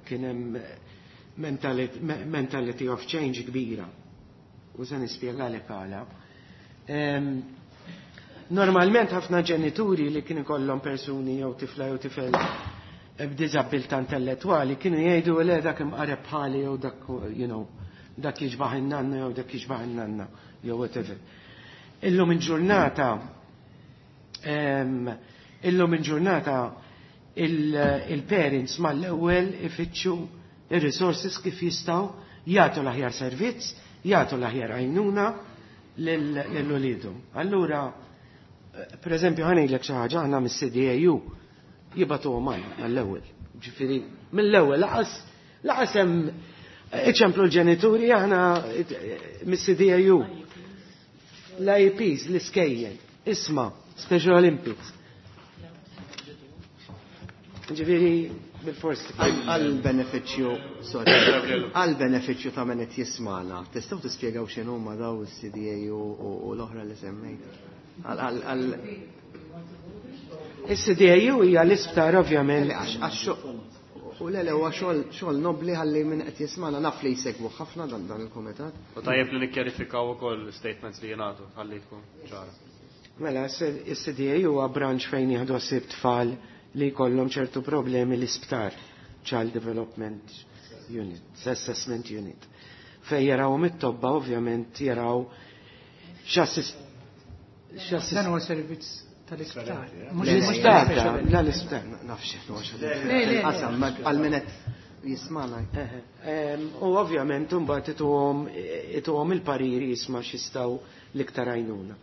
kien hemm mentality of change kbira. U se nispjegalek għala. Normalment ħafna ġenituri li kien ikollhom persuni jew tifla jew tifel b'diżabilità intellettwali kienu jgħidu le dak imqareb bħali jew dak, you know, dak jiġbaħ in-nanna jew dak jiġbaħ in-nanna jew whatever. Illum il-ġurnata illum il-ġurnata il-parents mal-ewwel ifittxu ir-resources kif jistgħu jagħtu l-aħjar servizz, jagħtu l-aħjar għajnuna lil uliedhom. Allura, per eżempju, ħa ngħidlek xi ħaġa, aħna mis-C D A U jibagħtuhom għall-ewwel. Ġifieri, mill-ewwel laqas laqas hemm iċemplu l-ġenituri, aħna mis-C D A U. L-I Ps, l-iskejjel, isma, Special Olympics. Ġifieri, bil-forsi. Għal-benefiċċju, sorry, għal-benefiċċju ta' min qed jismagħna, tistgħu tispjegaw x'inhuma daw is-C D A u l-oħra li semmejt? Għal Is-C D A U hija l-isptar, ovvjament. U le, le, huwa xogħol nobli, ħalli min qed jismagħna, naf li jsegwu ħafna dan dan il-kumitat. U tajjeb li nikkjarifikaw ukoll statements li jingħatu ħalli tkun ċara. Mela, is-C D A huwa branch fejn jieħdu ħsieb tfal li jkollhom ċertu problemi l-isptar, Child Development Unit, Assessment Unit. Fej jaraw mit-tobba, ovvjament jaraw x'assist Dan huwa servizz tal-isptar. L-isptar, la l-isptar. Nafx qasam għal min qed jismagħna. U ovvjament mbagħad ituhom ituhom il-pariri, jisma' x'jistgħu l-iktar għajnuna.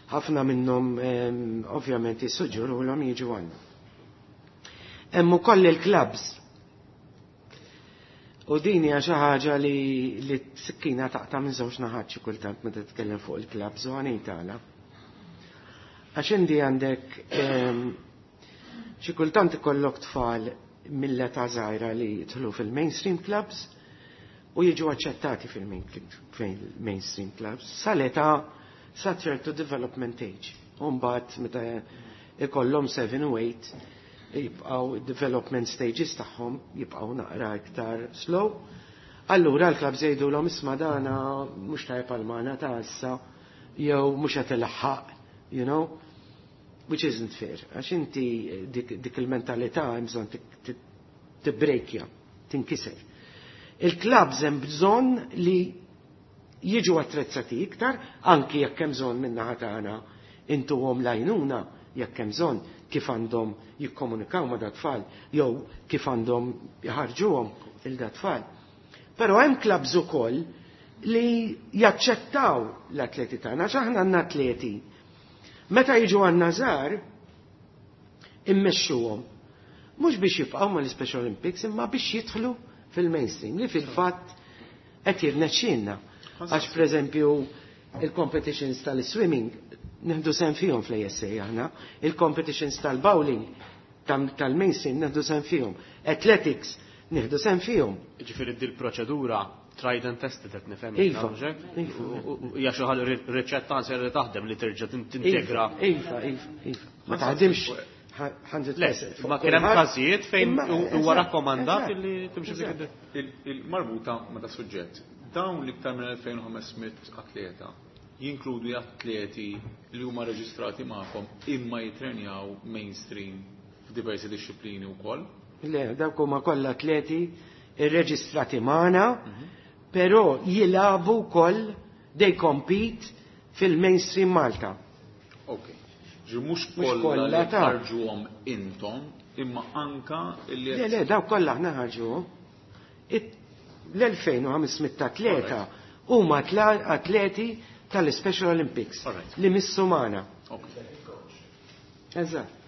Ħafna minnhom ovvjament jissuġġerulhom jiġu għandna. Hemm ukoll il-clubs. U din hija xi ħaġa li li sikkina taqta' minn żewġ naħat xi kultant meta titkellem fuq il-clubs, u ħa ngħid għala. Għax inti għandek xi kultant ikollok tfal mill-età żgħira li jidħlu fil-mainstream clubs u jiġu aċċettati fil-mainstream clubs sal-età sa ċertu development age. U mbagħad meta ikollhom seba u tmienja jibqgħu development stages tagħhom jibqgħu naqra iktar slow. Allura l-clubs jgħidulhom, "Isma', dana mhux tajjeb għal magħna ta' issa," jew mhux qed ilaħħaq, you know, which isn't fair. Għax inti dik, dik il-mentalità hemm bżonn tibbrejkja, tinkiser. Il-clubs hemm bżonn li jiġu attrezzati iktar, anki jekk hemm bżonn min-naħa tagħna intuhom l-għajnuna jekk hemm bżonn kif għandhom jikkomunikaw ma' dat-tfal jew kif għandhom jħarġuhom il dat-tfal. Però hemm clubs ukoll li jaċċettaw l-atleti tagħna, għax aħna għandna atleti. Meta jiġu għandna żgħar, immexxuhom. Mhux biex jibqgħu mal-Special Olympics, imma biex jidħlu fil-mainstream, li fil-fatt qed jirnexxielna. Għax pereżempju il-competitions tal-swimming nieħdu sehem fihom fl-A S A aħna, il-competitions tal-bowling tal-mainstream nieħdu sehem fihom, athletics nieħdu sehem fihom. Ġifieri dil proċedura tried and tested qed nifhem. Iva. Hija xi ħaġa riċetta anzi li taħdem li terġa' tintegra. Iva, iva, iva. Ma taħdimx mija fil-mija. Le, ma kien hemm każijiet fejn huwa rakkomandat li timxi f'dik. Il-marbuta ma' da suġġett. Dawn l-iktar minn elfejn u ħames mitt atleta jinkludu atleti li huma reġistrati magħkom imma jitrenjaw mainstream f'diversi disċiplini wkoll? Le, dawk huma kollha atleti irreġistrati magħna, però jilagħbu wkoll, they compete fil-mainstream Malta. Ok. Ġi mhux kollha li ħarġuhom intom, imma anka li Le, le, dawk kollha aħna ħarġuhom. L-elfejn u ħames mitt atleta huma atleti tal-Special Olympics li missu magħna. Eżatt.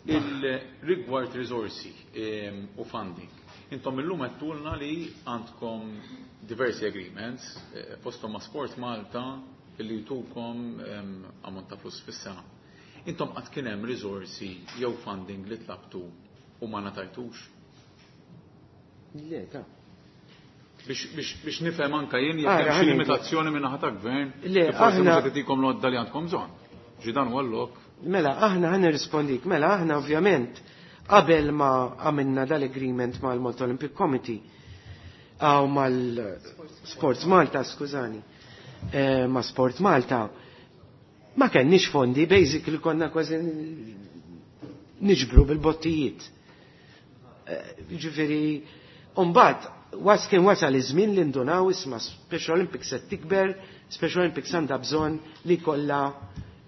Il-rigward risorsi u funding. Intom illum għedtulna li għandkom diversi agreements, eh, fostom ma' Sport Malta, Illi jtukom ammont ta' flus fis-sena. Intom qatt kien hemm riżorsi jew funding li tlabtu u ma ngħatajtux? Le, ta' Biex nifhem anka jien jekk hemm xi limitazzjoni minn naħa ta' gvern, Le, forsi mhux qed itikom l-għodda li għandkom bżonn. Ġi dan huwa l-lok. Mela, aħna ħa nirrispondik. Mela, aħna ovvjament qabel ma għamilna dal-agreement mal-Malta Olympic Committee għaw mal-Sports Malta, skużani, eh, ma' Sport Malta, ma kenniex fondi, basically konna kważi niġbru bil-bottijiet. Eh, ġifieri, mbagħad was kien wasal iż-żmien li ndunaw isma' Special Olympics qed tikber, Special Olympics għandha bżonn li kollha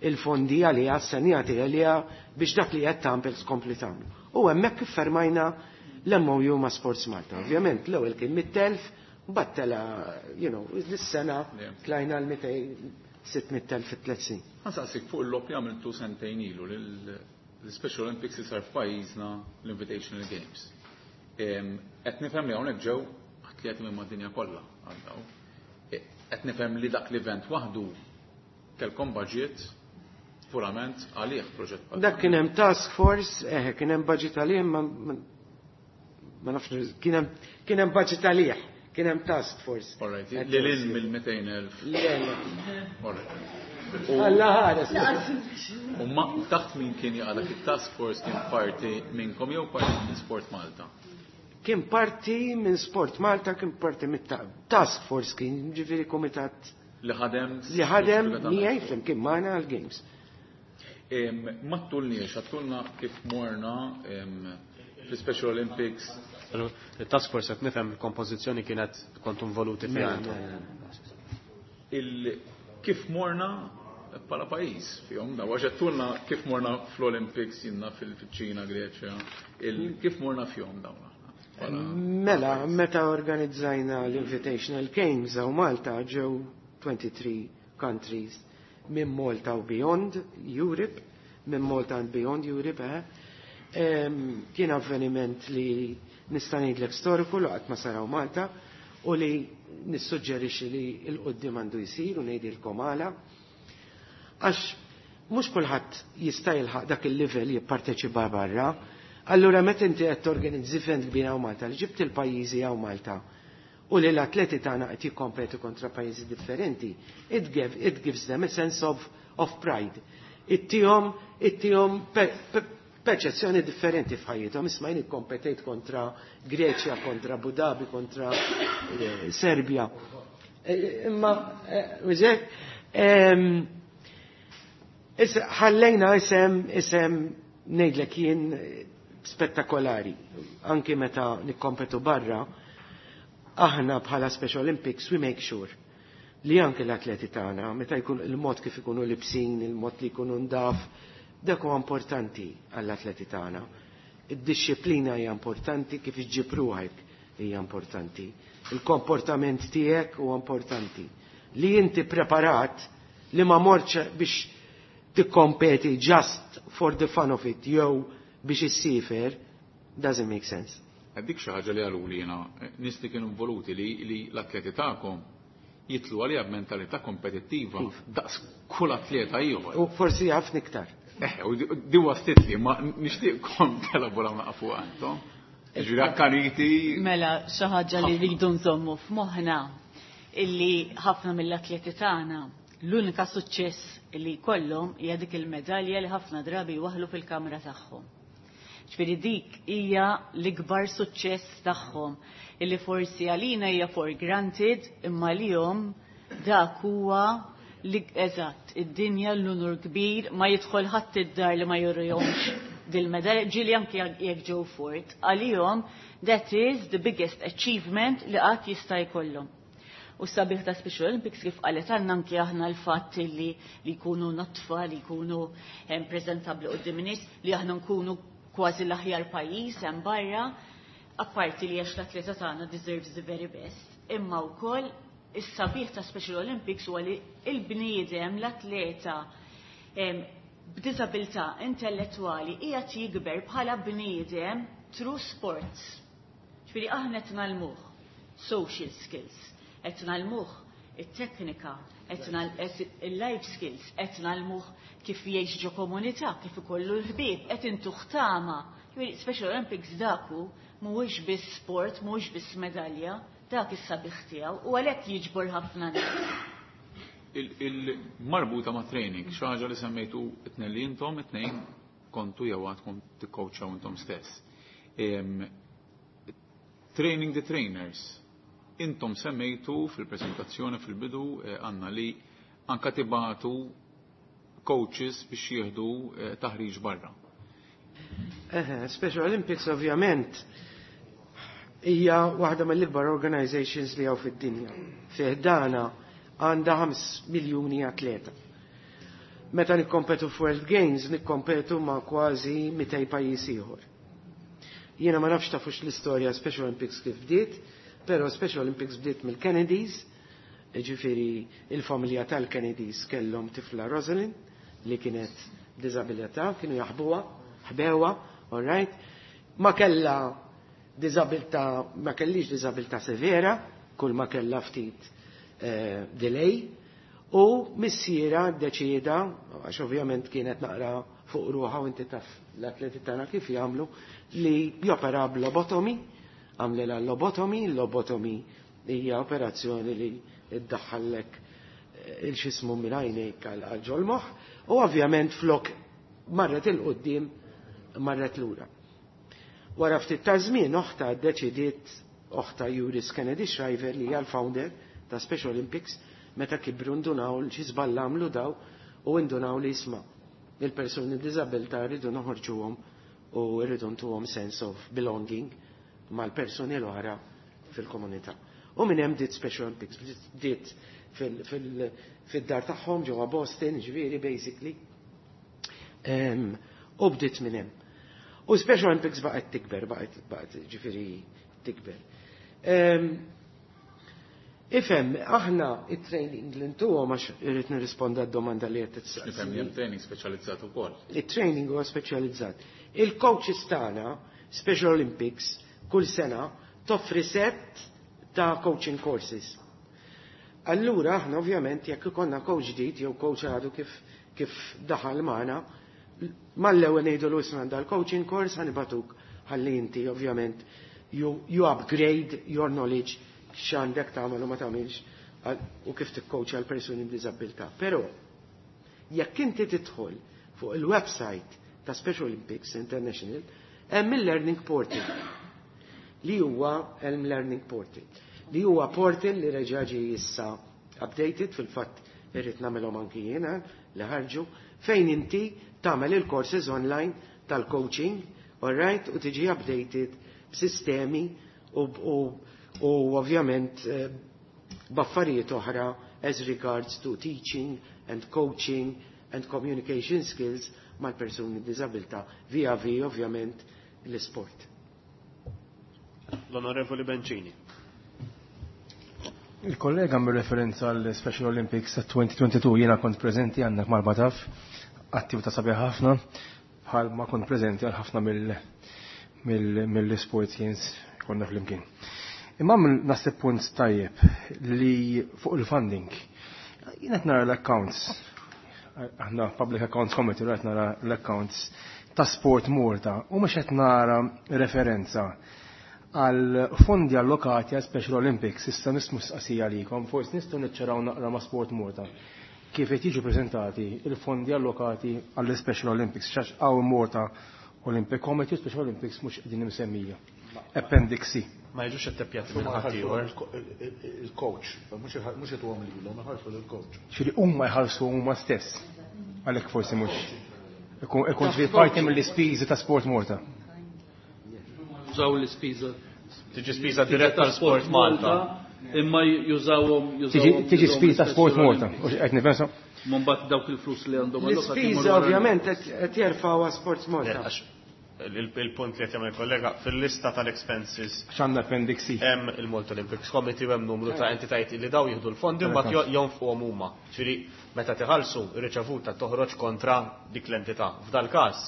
il-fondi għaliha, s-senjati għaliha biex dak li qed tagħmel tkompli tagħmlu. U hemmhekk iffermajna l-M O U ma' Sports Malta. Ovvjament l-ewwel kien mitt elf, mbagħad tela, you know, l-sena tlajna l-sitt mitt elf fit tliet snin. Ħa nsaqsik fuq il-logħob li għamiltu sentejn ilu l-Special Olympics li sar f'pajjiżna, l-Invitational Games. Qed nifhem li hawnhekk ġew atleti minn mad-dinja kollha għal daw. E, qed nifhem li dak l-event waħdu kellkom budget purament għalih, proġett bħal Dak kien hemm task force, eh, kien hemm budget għalih, ma ma nafx, kien hemm kien hemm budget għalih, kien hemm task force. All right, li lil mill-mitejn elf. Le, le. All right. Alla ħares. U ma taħt min kien jaqa' dak it-task force? Kien parti minnkom jew parti minn Sport Malta? Kien parti minn Sport Malta, kien parti mit task force, kien ġifieri komitat li ħadem li ħadem miegħi flimkien magħna għal-games. Ma ttulniex, għattulna kif morna fl-Special Olympics. Il-task force, qed nifhem il-kompożizzjoni kienet kontu involuti fiha Mela, intom. Il kif morna bħala pajjiż fihom da għax għattulna kif morna fl-Olympics jinna fil-Ċina, Greċja, il kif morna fihom dawn aħna bħala Mela, meta organizzajna l-Invitational Games hawn Malta, ġew twenty-three countries minn Malta u beyond Europe, minn Malta and beyond Europe, eh? Em, Kien avveniment li nista' ngħidlek storiku li qatt ma sar hawn Malta u li nissuġġerixxi li 'l quddiem għandu jsir u ngħidilkom għala. Għax mhux kulħadd jista' jilħaq dak il-livell jipparteċipa barra. Allura meta inti qed torganizzi event kbir hawn Malta, li ġibt il-pajjiżi hawn Malta u li l-atleti tagħna qed jikkompetu kontra pajjiżi differenti, it, give, it gives them a sense of, of pride. Ittihom, ittihom pe, pe, perċezzjoni differenti f'ħajjithom. Isma' jien ikkompetejt kontra Greċja, kontra Abu Dhabi, kontra eh, Serbia. Eh, Imma, eh, użek, ehm, Issa, ħallejna isem, isem ngħidlek jien eh, spettakolari. Anki meta nikkompetu barra, aħna bħala Special Olympics, we make sure li anke l-atleti tagħna, meta jkun il-mod kif ikunu libsin, il-mod li jkunu ndaf, dak huwa importanti għall-atleti tagħna. Id-disciplina hija importanti, kif iġġib ruħek hija importanti. Il-komportament tiegħek huwa importanti. Li inti preparat li ma morċ biex tikkompeti just for the fun of it jew biex issifer doesn't make sense. Dik xi ħaġa li għaluli jiena nies li kienu involuti li, li l-atleti tagħkom jitlu għalija b'mentalità kompetittiva daqs kull atleta ieħor. U forsi ħafna iktar. Eh, u di- di waslitli, ma nixtieqkom telaboraw naqa fuq intom. Ġifieri akkaniti. Mela, xi ħaġa li rridu nżommu f'moħħna illi ħafna mill-atleti tagħna l-unika suċċess li jkollhom hija dik il-medalja li ħafna drabi jwaħlu fil-kamra tagħhom. Ġifieri dik hija l-ikbar suċċess tagħhom illi forsi għalina hija for granted, imma lihom dak huwa li eżatt id-dinja, l-unur kbir, ma jidħol ħadd id-dar li ma jurihomx dil-medalja, ġieli anke jekk ġew fort, għalihom that is the biggest achievement li qatt jista' jkollhom. U sabiħ ta' Special Olympics, kif qalet għandna anke aħna, l-fatt li li jkunu nodfa, li jkunu em, preżentabbli quddiem in-nies, li aħna nkunu kważi l-aħjar pajjiż hemm barra, apparti li għax l-atleta tagħna deserves the very best, imma wkoll is-sabiħ ta' Special Olympics huwa li il-bniedem, l-atleta em, b'diżabilità intellettwali qiegħed jikber bħala bniedem through sports. Ġifieri aħna qed ngħallmuh social skills, qed ngħallmuh it-teknika, il-life skills, qed ngħallmuh kif jgħix ġo komunità, kif ikollu l-ħbieb, qed intuh tama. Special Olympics daku mhuwiex biss sport, mhuwiex biss medalja, dak is-sabiħ tiegħu u għalhekk jiġbor ħafna nies. Il-marbuta ma' training, xi ħaġa li semmejtu it-tnejn li intom, it-tnejn kontu jew għadkom tikkowċaw intom stess. Training the trainers. Intom semmejtu fil-prezentazzjoni fil-bidu għanna li anka tibatu coaches biex jieħdu taħriġ barra. Special Olympics ovvjament hija waħda mill-ikbar organizations li hawn fid-dinja. Fi ħdana għandha ħames miljuni atleta. Meta nikkompetu f'World Games nikkompetu ma' kważi mitej pajjiż ieħor. Jiena ma nafx tafux l-istorja Special Olympics kif bdiet, però Special Olympics bdiet mill-Kennedys, ġifieri il-familja tal-Kennedys kellhom tifla Rosalind li kienet b'diżabilità, kienu jaħbuha, ħbewha, all right? Ma kellha diżabilità, ma kellix diżabilità severa, kull ma kellha ftit eh, delay, u missiera ddeċieda, għax ovvjament kienet naqra fuq ruħha u inti taf l-atleti tagħna kif jagħmlu, li jopera b'lobotomy, għamlilha lobotomy, lobotomy hija operazzjoni li iddaħħallek il-xismu minn għajnejk għal ġol-moħħ, u ovvjament flok marret 'il quddiem marret lura. Wara ftit ta' żmien oħta ddeċidiet, oħta Juris Kennedy Shriver li hija l-founder ta' Special Olympics, meta kibru ndunaw xi żball għamlu daw u ndunaw li isma' il-persuni b'diżabilità rridu noħorġuhom u rridu ntuhom sense of belonging mal-persuni l-oħra fil-komunità. U minn hemm bdiet Special Olympics, bdiet fid-dar tagħhom ġewwa Boston, ġifieri basically. U bdiet minn hemm. U Special Olympics baqgħet tikber, baqgħet baqgħet ġifieri tikber. Ifhem, aħna it-training li ntuhom, għax irrid nirrisponda d-domanda li qed tistaqsi. Ifhem hemm training speċjalizzat ukoll. Il-training huwa speċjalizzat. Il-coaches tagħna, Special Olympics, kull sena toffri set ta' coaching courses. Allura aħna ovvjament jekk ikollna coach ġdid jew coach għadu kif kif daħal magħna, mal-ewwel ngħidu isma' dal-coaching course ħa nibagħtuk ħalli inti ovvjament you, you upgrade your knowledge x'għandek tagħmel u ma tagħmilx u kif tikkoċja għal persuni b'diżabilità. Però jekk inti tidħol fuq il-website ta' Special Olympics International, hemm il-Learning Portal li huwa hemm Learning Portal li huwa portal li reġa' ġie issa updated, fil-fatt irrid nagħmelhom anki jiena li ħarġu, fejn inti tagħmel il-courses online tal-coaching, all right, u tiġi updated b'sistemi u, u, u ovvjament eh, b'affarijiet oħra as regards to teaching and coaching and communication skills mal-persuni b'diżabilità via vi ovvjament l-sport. L-Onorevoli Bencini. Il-kollega mir referenza għal Special Olympics ta' elfejn u tnejn u għoxrin, jiena kont preżenti għandek mal-Bataf, attività sabiħa ħafna, bħal ma kont preżenti għal ħafna mill-sport games konna flimkien. Imma naħseb punt tajjeb li fuq il-funding. Jien qed nara l-accounts, aħna Public Accounts Committee, qed nara l-accounts ta' Sport Malta u mhux qed nara referenza għal fondi allokati għal Special Olympics. Issa nismu sqasija għalikom, forsi nistgħu niċċaraw naqra ma' Sport Malta kif qed jiġu preżentati il-fondi allokati għall Special Olympics, għax hawn Malta Olympic Committee u Special Olympics mhux qegħdin imsemmija. Appendix C. Ma jiġux ittepjati minn ħaddieħor. Il-coach, mhux jtuhom lilhom, iħallsu lill-coach. Ġifieri huma jħallsu huma stess. Għalhekk forsi mhux. Ikun ġifieri parti mill-ispiżi ta' Sport Malta. Jużaw l-ispiża. Tiġi spiża diretta tal Sport Malta. Imma jużawhom Tiġi spiża ta' Sport Malta. Qed nifhem Mbagħad dawk il-flus li għandhom L-ispiża ovvjament qed jerfgħu Sports Malta. Il-punt li qed jagħmel kollega fil-lista tal-expenses X'għandna Appendix C. Hemm il-Malta Olympics Committee u hemm numru ta' entitajiet li daw jieħdu l-fondi u mbagħad jonfquhom huma. Ġifieri meta tiħallsu ir-riċevuta toħroġ kontra dik l-entità. F'dal każ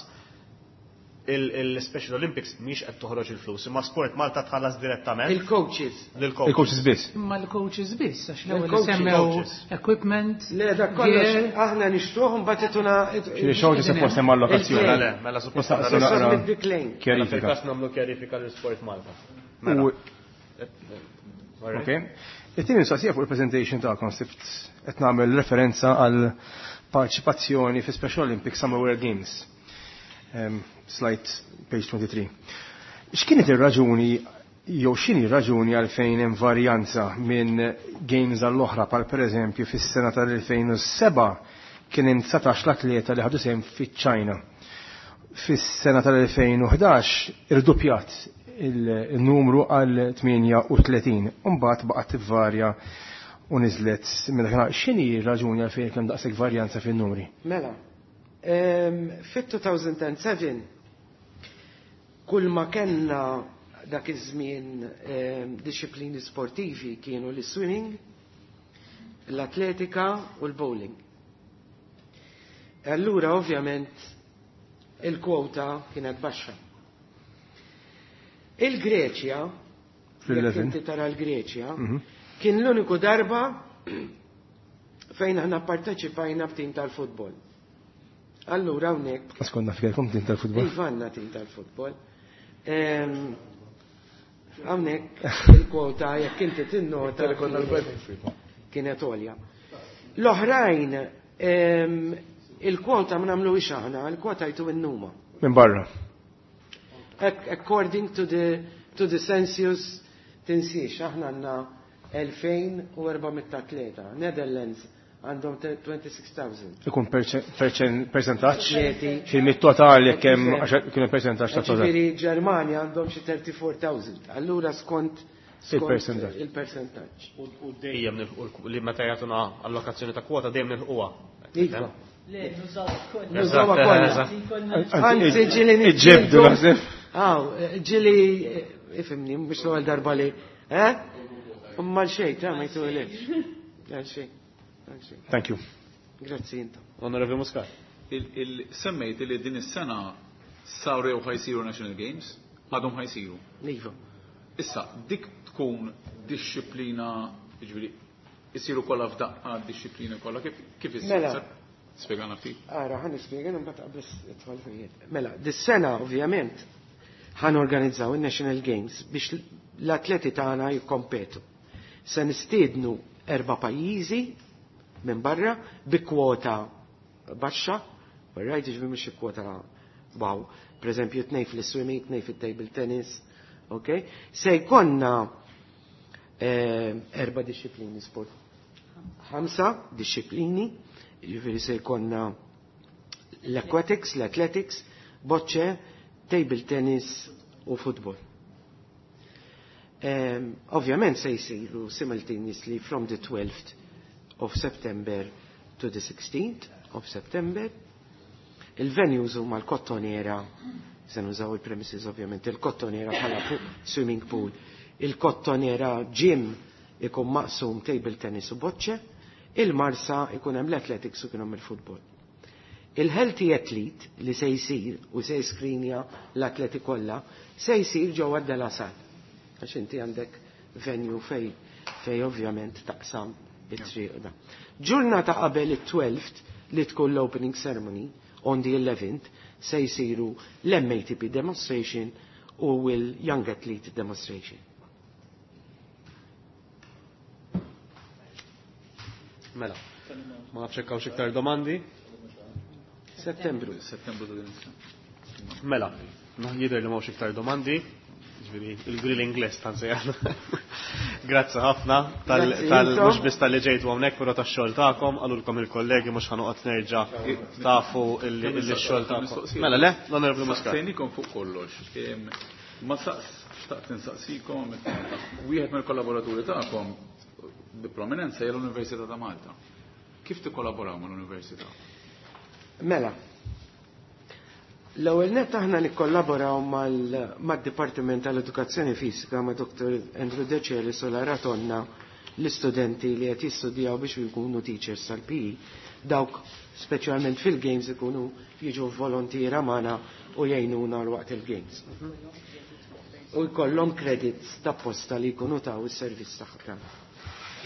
Il-Special Olympics mhix qed toħroġ il-flus, imma Sport Malta tħallas direttament. Il-coaches. Il-coaches biss. Imma l-coaches biss, għax l-ewwel semmew equipment. Le, dak kollox aħna nixtruh mbagħad ituna. Xi xogħol suppost hemm allokazzjoni. Le, mela suppost kjarifika. Fil-każ nagħmlu kjarifika lil Sport Malta. Ok. It-tieni mistoqsija fuq il-presentation tagħkom sibt qed nagħmel referenza għal parteċipazzjoni fi Special Olympics Summer World Games. Um, slide page twenty-three. X'kienet ir-raġuni jew x'inhi r-raġuni għalfejn hemm varjanza minn games għall-oħra, bħal pereżempju fis-sena tal-elfejn u seba' kien hemm dsatax l-atleta li ħadu sehem fiċ-Ċina. Fis-sena tal-elfejn u ħdax irduppjat il-numru għal tmienja u tletin, u mbagħad baqgħet tivvarja u niżlet minn dak. X'inhi r-raġuni għalfejn hemm daqshekk varjanza fin-numri? Mela, fit-two thousand and seven kull ma kellna dak iż-żmien disciplini sportivi kienu l-swimming, l-atletika u l-bowling. Allura ovvjament il-kwota kienet baxxa. Il-Greċja, jekk inti tara l-Greċja, kien l-uniku darba fejn aħna parteċipajna b'tim tal-futbol. Allura hawnhekk. Askonna f'kelkom tim tal-futbol? Iva, għandna tim tal-futbol. Hawnhekk il-kwota jekk inti tinnota kienet għolja. L-oħrajn il-kwota ma nagħmluhiex aħna, il-kwota jtu n-numa. Minn barra. According to the to the census tinsiex, aħna għandna elfejn u erba' mitt atleta. Netherlands għandhom twenty-six thousand. Ikun percentaġġ? Xi mit-total jekk hemm kienu percentaġġ ta' total. Ġifieri Ġermanja għandhom xi thirty-four thousand. Allura skont il-percentaġġ. Il-percentaġġ. U dejjem nilħu li meta jagħtuna allokazzjoni ta' kwota dejjem nilħuha. Iva. Le, nużawha kollha. Nużawha kollha. Anzi ġieli iġġibdu naħseb. Aw, ġieli ifhimni mhux l-ewwel darba li, eh? Imma l-xejn, ta' ma jtulekx. Għal xejn. Thank you. Grazzi intom. Onorevoli Muscat. Il-semmejt li din is-sena saru jew ħajsiru National Games, għadhom ħajsiru. Iva. Issa, dik tkun disċiplina, jiġifieri, isiru kollha f'daqqa disċiplina kollha, kif, kif issir? Mela. Spjegana ftit. Ara, ħa nispjega mbagħad qabel idħol fih. Mela, dis-sena ovvjament ħan organizzaw in-National Games biex l-atleti tagħna jikkompetu. Se nistiednu erba' pajjiżi minn barra bi kwota baxxa, right, jiġifieri mhux kwota wow. Per eżempju, tnejn fil-swimming, tnejn fit-table tennis, ok? Se jkollna erba' disċiplini sport. Ħamsa disċiplini, jiġifieri se jkollna l-aquatics, l-athletics, boċċe, table tennis u football. Um, ovvjament se jsiru simultaneously from the twelfth of September to the sixteenth of September. Il-venues huma l-Kottonera, se nużaw il-premises ovvjament, il-Kottonera bħala swimming pool, il-Kottonera gym ikun maqsum table tennis u boċċe, il-Marsa ikun hemm l-athletics u kien hemm il-football. Il-healthy athlete li se jsir u se jiskrinja l-atleti kollha se jsir ġewwa De La Salle. Għax inti għandek venue fej, fej ovvjament taqsam it-triq da. Ġurnata qabel it-twelfth li tkun l-opening ceremony on the eleventh se jsiru l-M A T P demonstration u l-Young Athlete demonstration. Mela, ma nafx hekk hawnx iktar domandi. Settembru. Settembru ta' din is-sena. Mela, jidher li m'hawnx iktar domandi. Ġifieri il-grilling list ħansejjaħ. Grazzi ħafna tal-, Grazzi tal-, intom. mhux biss tal-li ġejtu hawnhekk, però tax-xogħol tagħkom, qalulkom il-kollegi mhux ħanoqgħod nerġa' tafu illi, illi x-xogħol tagħkom. Mistoqsija. Mela le, l-Onorevoli Muscat. Saqsejnikom fuq kollox. Em, ma saqs, xtaqt insaqsikom, wieħed mill-kollaboraturi tagħkom bi prominenza hija l-Università ta' Malta. Kif tikkollaboraw mal-Università? Mela, l-ewwel nett aħna nikkollaboraw mal-, mad-Dipartiment tal-Edukazzjoni Fisika ma' Doktor Andrew Decelis u Lara Tonna l-istudenti li qed jistudjaw biex jkunu teachers tal-P E, dawk speċjalment fil-games ikunu jiġu volontiera magħna u jgħinuna waqt il-games. U jkollhom credits ta' posta li jkunu taw is-servizz tagħhom.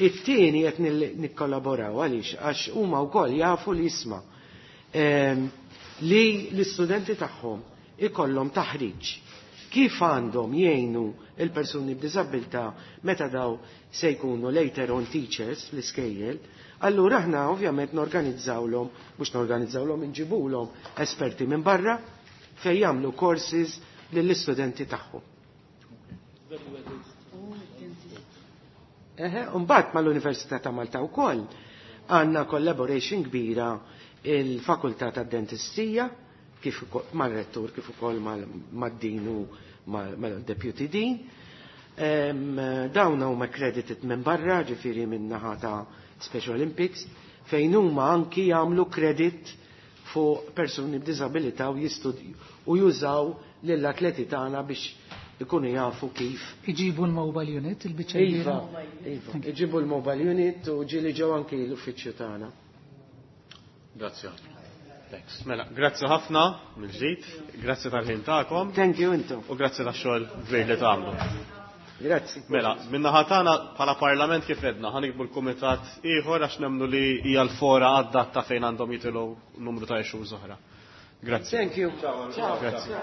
It-tieni qed nikkollaboraw għaliex għax huma wkoll jafu li jisma' li l-istudenti tagħhom ikollhom taħriġ kif għandhom jgħinu il-persuni b'diżabilità meta daw se jkunu later on teachers fl-iskejjel, allura aħna ovvjament norganizzawlhom, mhux norganizzawlhom, inġibulhom esperti minn barra fejn jagħmlu courses lill-istudenti tagħhom. Eħe, mbagħad mal-Università ta' Malta wkoll għandna collaboration kbira il-Fakultà tad-Dentistija kif mal-rettur, kif ukoll mad-din u mal-deputy dean. Dawn huma accredited minn barra, ġifieri minn naħa ta' Special Olympics, fejn huma anki jagħmlu credit fuq persuni b'diżabilità u u jużaw lill-atleti tagħna biex ikunu jafu kif. Iġibu l-mobile unit, il-biċċa. Iva, iva, iġibu l-mobile unit u ġieli ġew anki l-uffiċċju tagħna. Grazie. Thanks. Mela, grazzi ħafna mill-ġdid, grazzi tal-ħin tagħkom. Thank you intom. U grazzi tax-xogħol kbir li tagħmlu. Grazzi. Mela, minna ħatana bħala parlament kif edna, ħanikbu l-kumitat ieħor għax nemmnu li hija l-fora adatta fejn għandhom jitilgħu numru ta' issues oħra. Grazzi. Thank you. Ciao. Grazzi.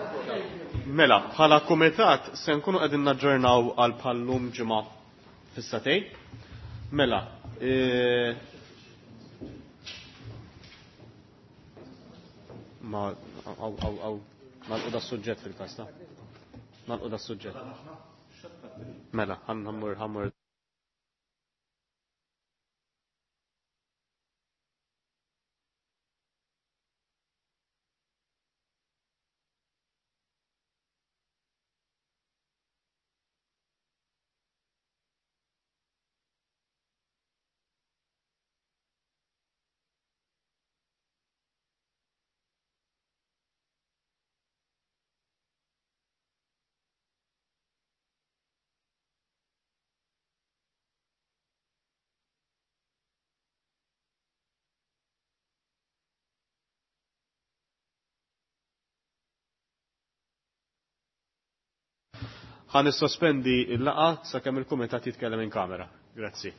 Mela, bħala kumitat se nkunu qegħdin naġġornaw għal bħallum ġimgħa fis-satej. Mela, e... ma għaw għaw għaw nalqu da suġġett fil-kas ta' nalqu da suġġett. Mela, ħammur ħammur Ħa nissospendi l-laqgħa sakemm il-kumitat jitkellem in kamera. Grazzi.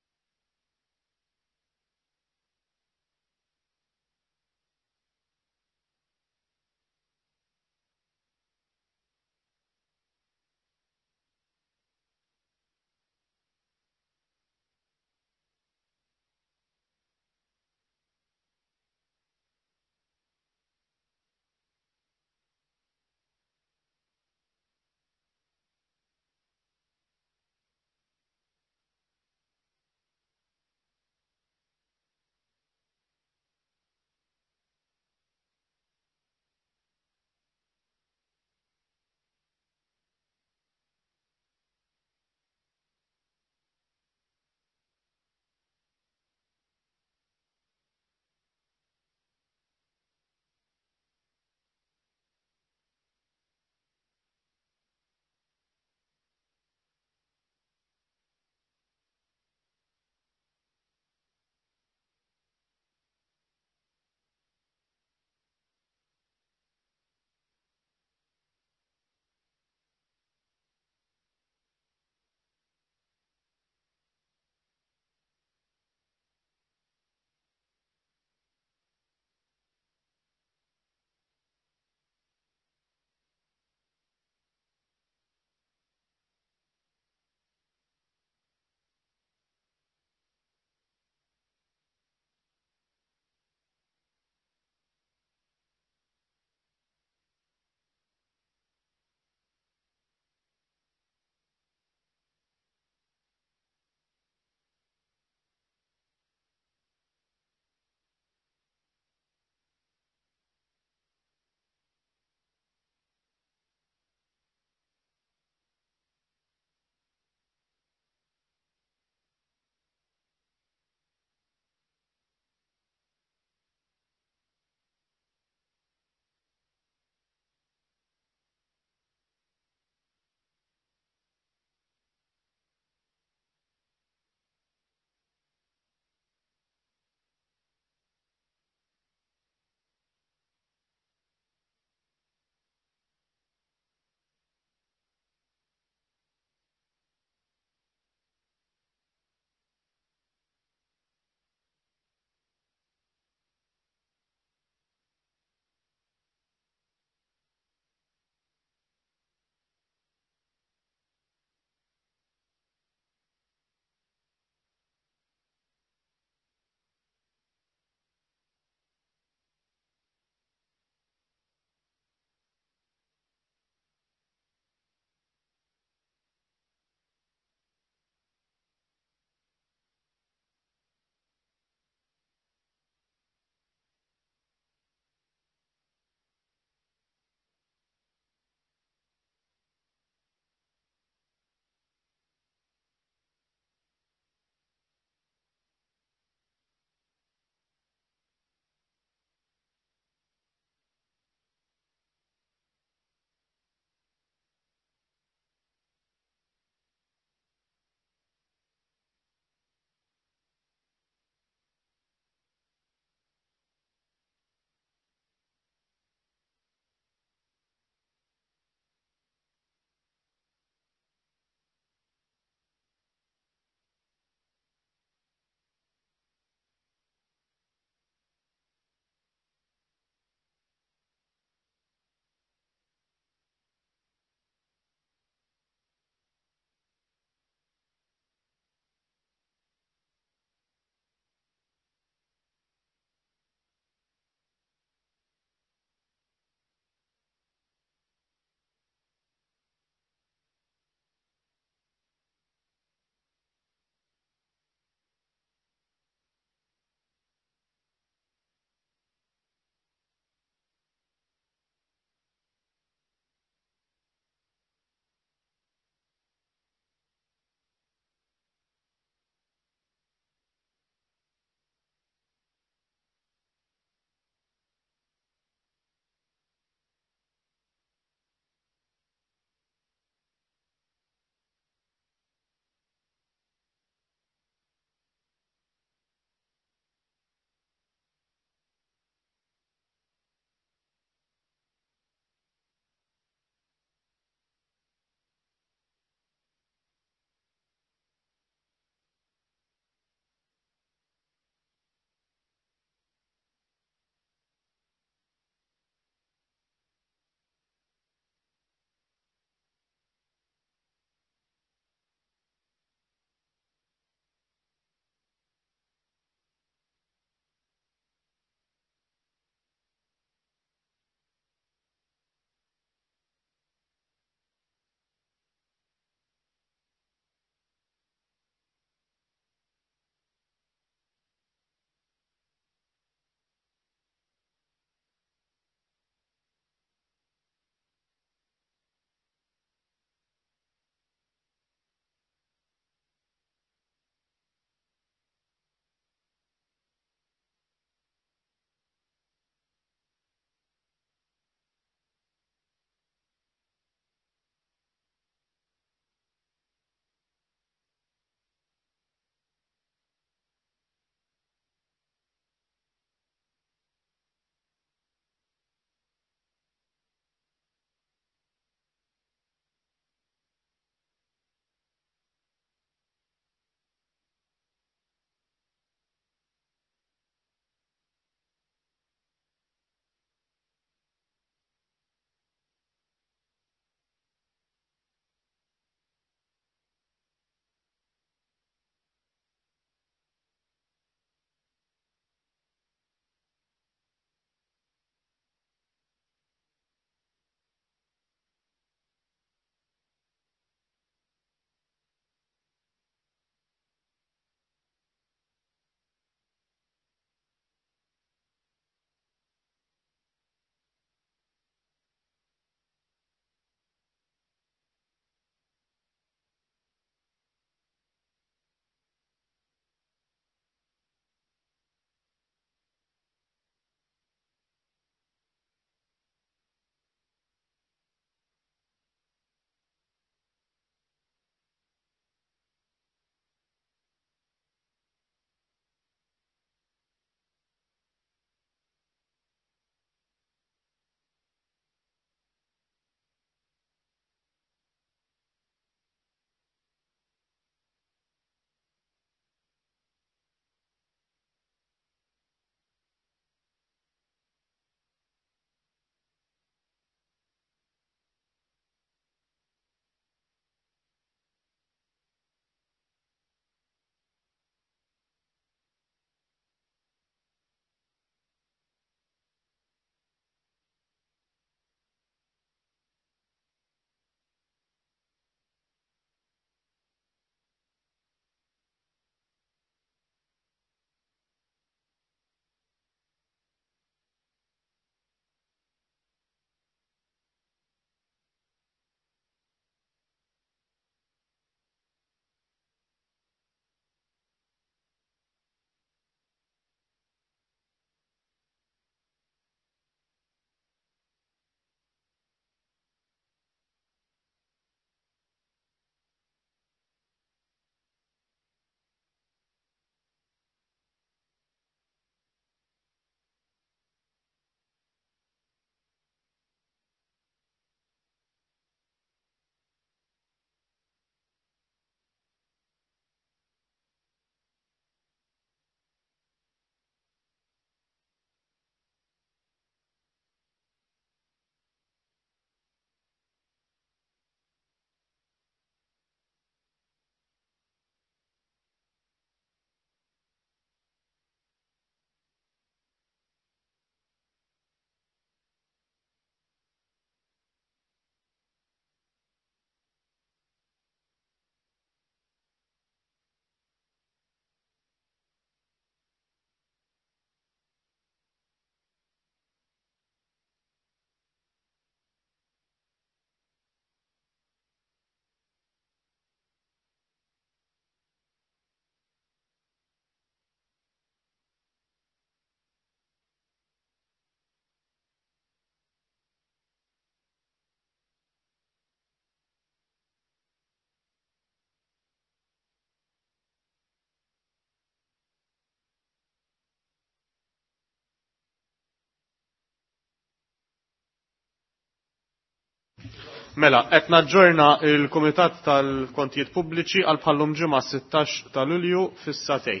Mela, qed naġġorna il-Kumitat tal-Kontijiet Pubbliċi għal bħallum ġimgħa sittax ta' Lulju fis-satej.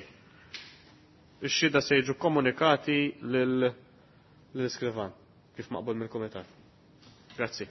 Ix-xhieda se jiġu komunikati lil l-iskrivan kif maqbul mill-Kumitat. Grazzi.